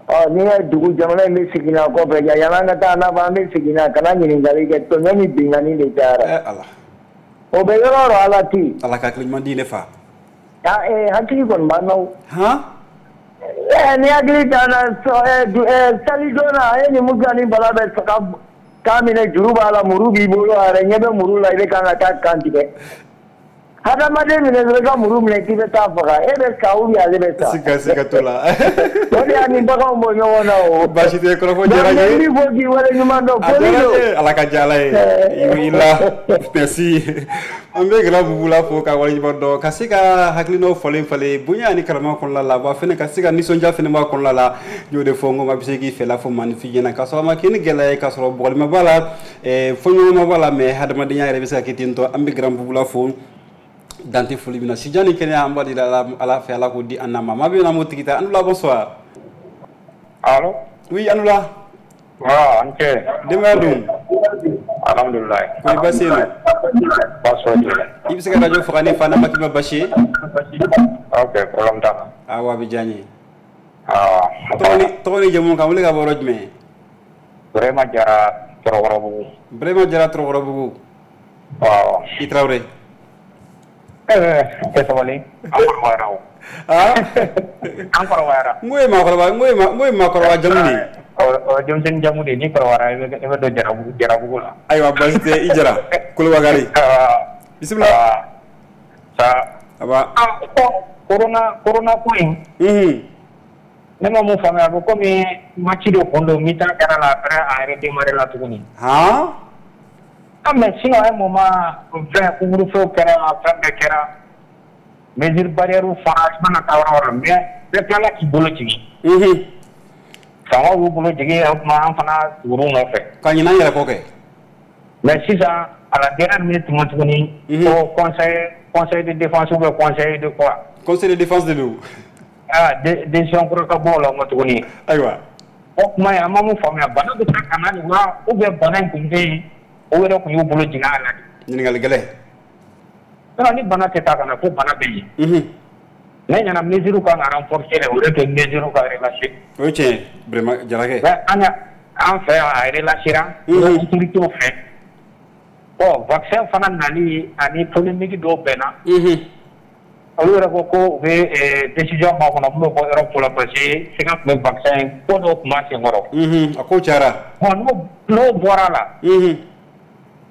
Ɔ n'i ye dugu jamana in bɛ segin a kɔfɛ yanni an ka taa n'a fɔ an bɛ segin na kana ɲininkali kɛ tɔɲɔ ni binkanni de cayara. Ɛ Ala. O bɛ yɔrɔ o yɔrɔ Ala tɛ yen. Ala ka hakili ɲuman di ne fa. Aa ee hakili kɔni b'an na o. Han. Ɛ ni hakili t'an na ɛ salidon na e ni Musa ni Bala bɛ saga k'a minɛ juru b'a la muru b'i bolo a yɛrɛ ɲɛ bɛ muru la i bɛ kan ka taa kan tigɛ. Hadamaden minɛ dɔrɔn i ka muru minɛ k'i bɛ taa faga e bɛ sa ou bien ale bɛ sa. Siga siga t'o la. O de y'a ni baganw bɔ ɲɔgɔn na o. Baasi tɛ kɔrɔfɔ diyara n ye. Donc n b'i fo k'i waleɲuman dɔn foli don. Ala ka diya Ala ye. I la merci. An bɛ Gɛlɛya Bubula fo ka waleɲuman dɔn ka se ka hakilinaw falen falen bonya ani karama kɔnɔna la wa fɛnɛ ka se ka nisɔndiya fɛnɛ b'a kɔnɔna la n y'o de fɔ n ko maa bɛ se k'i fɛla fɔ maaninfin ɲɛna k'a sɔrɔ a ma kɛ ni gɛlɛya ye k'a sɔrɔ bugɔlima b'a la fɔɲɔgɔnma b'a la mais hadamadenya yɛrɛ bɛ se ka kɛ ten tɔ an bɛ Grand Bubula fo. Dante foli min na sijan ni kɛnɛya an b'a di Ala fɛ Ala k'o di an n'a ma maa bɛ na m'o tigi ta Anula bonsoir. Allo. Oui Anula. Waaw an cɛ. Denbaya dun. Alhamdulilayi. Kɔni baasi tɛ yen nɔ. Baasi foyi tɛ yen. I bɛ se ka radio faga ne fa n'a ma k'i ma baasi ye. Ok problème t'a la. Awɔ a bɛ diya n ye. Awɔ. Tɔgɔ ni tɔgɔ ni jamu k'an wele ka bɔ yɔrɔ jumɛn. Burema Jara Tɔrɔkɔrɔbugu. Burema Jara Tɔrɔkɔrɔbugu. Awɔ. I Tarawele. Tɛ sabali an kɔrɔbayara o. An kɔrɔbayara. N ko ye maakɔrɔba n ko ye n ko ye maakɔrɔba jamu de ye. O denmisɛnnin jamu de ye n'i kɔrɔbayara i bɛ i bɛ don Jarabugu Jarabugu la. Ayiwa baasi tɛ i Jara Kolobakari. Bisimila. Sa. Aba. Corona corona ko in. Unhun. Ne ma mun faamuya a bɛ komi match dɔ kun don mi-temps kɛra la après a redémarrer la tuguni. Han. Ah mais sinon à un moment fɛn couvre-feu kɛra fɛn bɛɛ kɛra mesure barrière fara i mana taa yɔrɔ o yɔrɔ mais bɛɛ tilala k'i bolo jigin. Unhun. Faamaw y'u bolo jigin o tuma an fana tugur'u nɔfɛ. Ka ɲinɛ an yɛrɛ kɔ kɛ. Mais sisan à la dernière minute tuma tuguni. Ko conseil conseil de défense ou bien conseil de quoi. Conseil de défense de don. aa décision kura ka bɔ o la nkɔ tuguni. Ayiwa. O kuma in an ma mun faamuya bana bɛ taa ka na nin wa ou bien bana in tun tɛ yen o yɛrɛ tun y'u bolo jigin a la de. Ɲininkali gɛlɛn. Sinon ni bana tɛ taa ka na ko bana bɛ yen. Unhun. Ne ɲɛna mesure kan ka renforcer de o de kɛ mesure ka relâcher. O ye tiɲɛ ye vraiment Jarakɛ. Mais an ka an fɛ yan a relâchera. Unhun. Autorités fɛ. Bon vaccin fana nali ani polémique dɔw bɛnna. Unhun. Olu yɛrɛ ko ko u bɛ décision makɔnɔ mun bɛ bɔ Europe la parce que siga tun bɛ vaccin ko dɔw tun b'a senkɔrɔ. Unhun a ko cayara. Bon n'o n'o bɔra la. Unhun.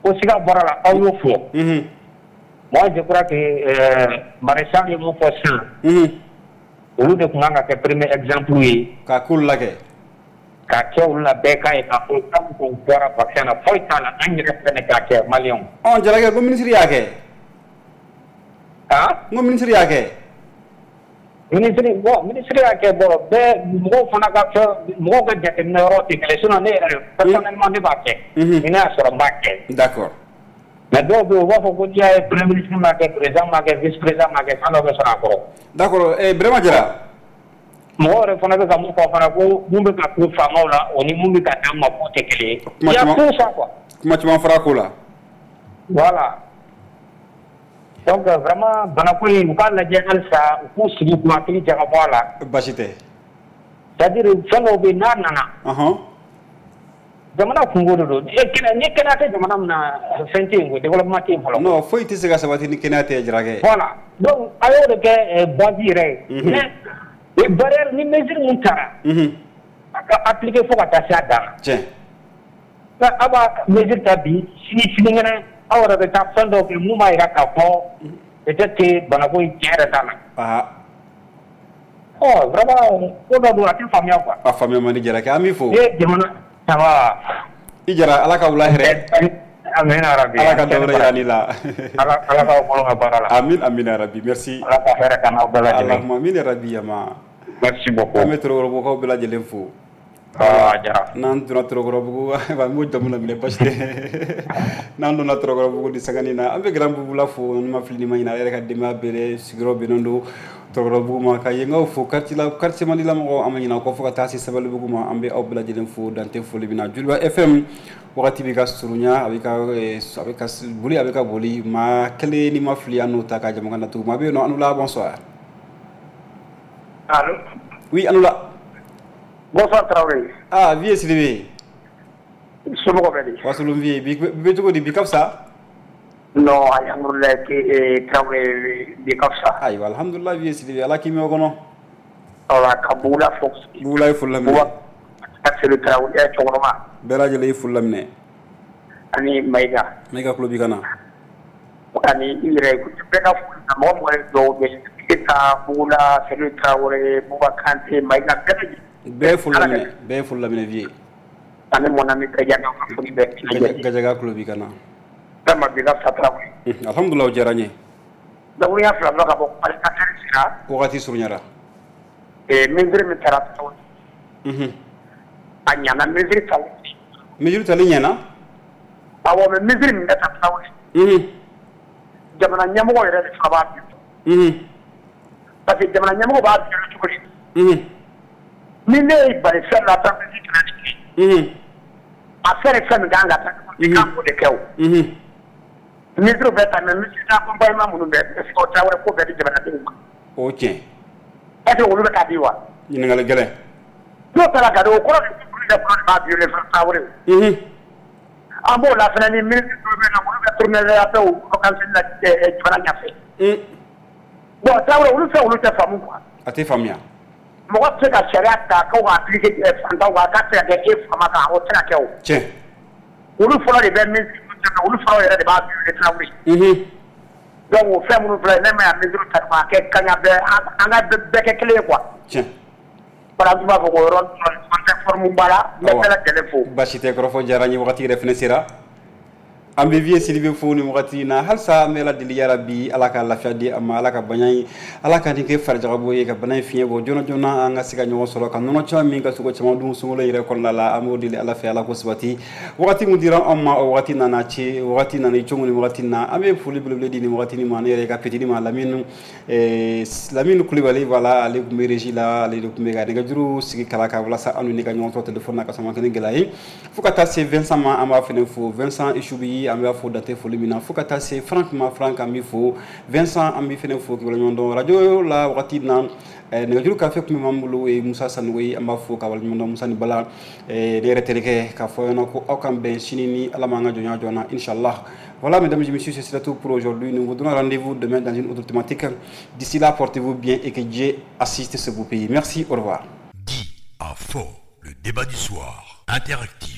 Ko siga bɔra la aw y'o fɔ. Unhun. Moi je crois que euh, maréchal ye mun fɔ sisan. Unhun. Olu de tun kan ka kɛ premier exemple ye. K'a k'olu la kɛ. K'a kɛ olu la bɛɛ k'a ye k'a fɔ k'an kun bɔra vaccin na foyi t'a la an yɛrɛ fɛnɛ k'a kɛ maliyɛnw. Ɔ Jarakɛ ko ministre y'a kɛ. Ah? N ko ministre y'a kɛ. Ministre bon ministre y'a kɛ bon bɛɛ mɔgɔw fana ka fɛn mɔgɔw ka jateminɛ yɔrɔ tɛ kelen sinon ne yɛrɛ personnellement ne b'a kɛ. Unhun. Ni ne y'a sɔrɔ n b'a kɛ. D'accord. Mais dɔw bɛ yen u b'a fɔ ko n'i y'a ye premier ministre m'a kɛ président m'a kɛ vice président m'a kɛ fɛn dɔ bɛ sɔrɔ a kɔrɔ. D'accord eh Birama Jara. Mɔgɔw yɛrɛ fana bɛ ka mun fɔ fana ko mun bɛ ka kun faamaw la o ni mun bɛ ka d'an ma k'o tɛ kelen ye. Kuma Il y a caman tout ça quoi. Kuma caman fɔra a ko la. Voilà. Donc vraiment banako in u k'a lajɛ halisa u k'u sigi k'u hakili jagabɔ a la. Baasi tɛ. C'est à dire fɛn dɔw bɛ yen n'a nana. Ɔhɔn. Jamana kungo de don ni kɛnɛya ni kɛnɛya tɛ jamana min na fɛn tɛ yen ko développement tɛ yen fɔlɔ. Non foyi tɛ se ka sabati ni kɛnɛya tɛ Jarakɛ. Voilà donc a y'o de kɛ base yɛrɛ ye. Unhun. Mais barrière ni mesure mun taara. Unhun. A ka appliquer fo ka taa se a dan na. Tiɲɛ. Aw b'a mesure ta bi sini sinikɛnɛ aw yɛrɛ bɛ taa fɛn dɔw kɛ mun b'a jira k'a fɔ peut-être que banako in tiɲɛ yɛrɛ t'a la. Aa. Ɔ vraiment ko dɔ don a tɛ faamuya quoi. A faamuya man di Jarakɛ an b'i fo. Ni ye jamana ça va. I Jara Ala ka wula hɛrɛ. Amina rabi. Ala ka dɔ wɛrɛ yira n'i la. Ala ala k'aw bolo ka baara la. Amin amina rabi merci. Ala ka hɛrɛ k'an n'aw bɛɛ lajɛlen. Allahumma amina rabi yama. Merci beaucoup. An bɛ Torokɔrɔbugukaw bɛɛ lajɛlen fo. Ah a diyara. N'an donna Torokɔrɔbugu an b'o jamu laminɛ basi tɛ. N'an donna Torokɔrɔbugu ni sangani na an bɛ Grand Bubula fo ni ma fili ni ma ɲinɛ a yɛrɛ ka denbaya bɛɛ sigiyɔrɔ bɛnnen don Torokɔrɔbugu ma ka yenkaw fo quartier la quartier mandi la mɔgɔw an ma ɲinɛ aw kɔ fo ka taa se Sabalibugu ma an bɛ aw bɛɛ lajɛlen fo dan tɛ foli min na. Joliba F M wagati bɛ ka surunya a bɛ ka a bɛ ka boli a bɛ ka boli maa kelen ni ma fili an n'o ta ka jama na tugun maa bɛ yen nɔ an la bonsoir. Allô. Oui an la. Bonsoir Traoré. Ah vieux Sidibé. Somɔgɔw bɛ di? Wasolon vieux bi bɛ cogo di bi ka fisa? Non alhamdulilayi Traoré bi ka fisa. Ayiwa alhamdulilayi vieux Sidibé Ala k'i mɛn o kɔnɔ. Voilà ka Bugula fo. Bugula ye foli laminɛ. Seydou Traoré cɛkɔrɔba. Bɛɛ lajɛlen ye foli laminɛ. Ani Mayiga. Mayiga tulo b'i ka na. Ani i yɛrɛ bɛɛ ka foli na mɔgɔ mɔgɔ ye dugawu kɛ Keita Bugula Seydou Traoré Buba Kante Mayiga bɛɛ lajɛlen. Bɛɛ ye foli laminɛ bɛɛ ye foli laminɛ vieux. Ani mon ami Gajaga ka foli bɛɛ. Gajaga tulo b'i ka na. Vraiment bi ka fisa Traoré. Alhamdulilayi o diyara n ye. Dakuruɲa fila dɔrɔn ka bɔ qualificateur sera. Wagati surunyara. Ee mesure min taara Traoré. Unhun. A ɲana mesure tali. Mesure tali ɲɛna? Awɔ mais mesure min bɛ ta Traoré. Unhun. Jamana ɲɛmɔgɔ yɛrɛ de fana b'a bi. Unhun. Parce que jamana ɲɛmɔgɔ b'a violer cogo di? Unhun. Ni ne ye bali fɛn la entreprise kɛmɛ ni kelen. A fɛn ni fɛn min kan ka ta i kan k'o de kɛ o. Mesure bɛ ta mais mesure d'accompagnement minnu bɛ est ce que o Traoré ko bɛɛ di jamanadenw ma? O tiɲɛ. Est ce que olu bɛ k'a di wa? Ɲininkali gɛlɛn. N'o taara ka di o kɔrɔ de olu yɛrɛ fana de b'a violer Traoré. An b'o la fana ni ministre dɔw bɛ yen nɔ olu bɛ tourner affaire vacances la jamana ɲɛfɛ. Bon Traoré olu fɛn olu tɛ faamu quoi. A tɛ faamuya. Mɔgɔ tɛ se ka sariya ta k'o ka appliquer fantanw kan k'a tɛ se ka kɛ e faama kan o tɛ se ka kɛ o. Tiɲɛ. Olu fɔlɔ de bɛ mesure ta olu fɔlɔ yɛrɛ de b'a violer Traoré. Donc o fɛn minnu filɛ ne ma ya mesure ta k'a kɛ kaɲa bɛɛ an ka bɛɛ kɛ kelen ye quoi. Tiɲɛ. Voilà an tun b'a fɔ k'o yɔrɔ an tɛ forme ba la n bɛ bɛɛ lajɛlen fo. Baasi tɛ kɔrɔfɔ diyara n ye wagati yɛrɛ fana sera. An bɛ Vieux Sidibe fo nin wagati in na. Halisa an bɛ Ala deli yarabi, Ala ka lafiya di a ma, Ala ka bana in, Ala ka nin kɛ farijagabɔ ye, ka bana in fiɲɛ bɔ joona joona, an ka se ka ɲɔgɔn sɔrɔ ka nɔnɔ caman min, ka sogo caman dun sunkalo yɛrɛ kɔnɔna la. An b'o deli Ala fɛ, Ala ko sabati. Wagati min dira anw ma, o wagati nana ci, wagati nana cogo ni wagati na. An bɛ foli belebele di nin wagati ma, ne yɛrɛ ka petit ma, Lamine Lamine Kulibali. Voilà, ale tun bɛ régie la, ale de tun bɛ ka nɛgɛjuru sigi kala kan walasa an ni ka ɲɔgɔn sɔrɔ téléphone na ka sɔrɔ ma kɛ ni gɛlɛya ye. Fo ka taa se Vincent ma, an b'a fana fo, Vincent Isubi, an b'a fo date foli min na. Fo ka taa se Franck ma, Franck, an b'i fo. Vincent, an b'i fana fo k'i waleɲuman dɔn. Radio la wagati na, nɛgɛjuru kafe tun bɛ m'an bolo, o ye Musa Sanogo ye. An b'a fo ka waleɲuman dɔn, Musa ni Bala, ne yɛrɛ terikɛ, k'a fɔ ɲɛna ko aw k'an bɛn sini ni Ala m'an ka jɔnya jɔ na, inchallah. Voilà, mesdames et messieurs, c'est tout pour aujourd'hui. Nous vous donnons rendez-vous demain dans une autre thématique. D'ici là, portez-vous bien et que Dieu assiste ce beau pays. Merci, au revoir. Dit à fort, le débat du soir, interactif.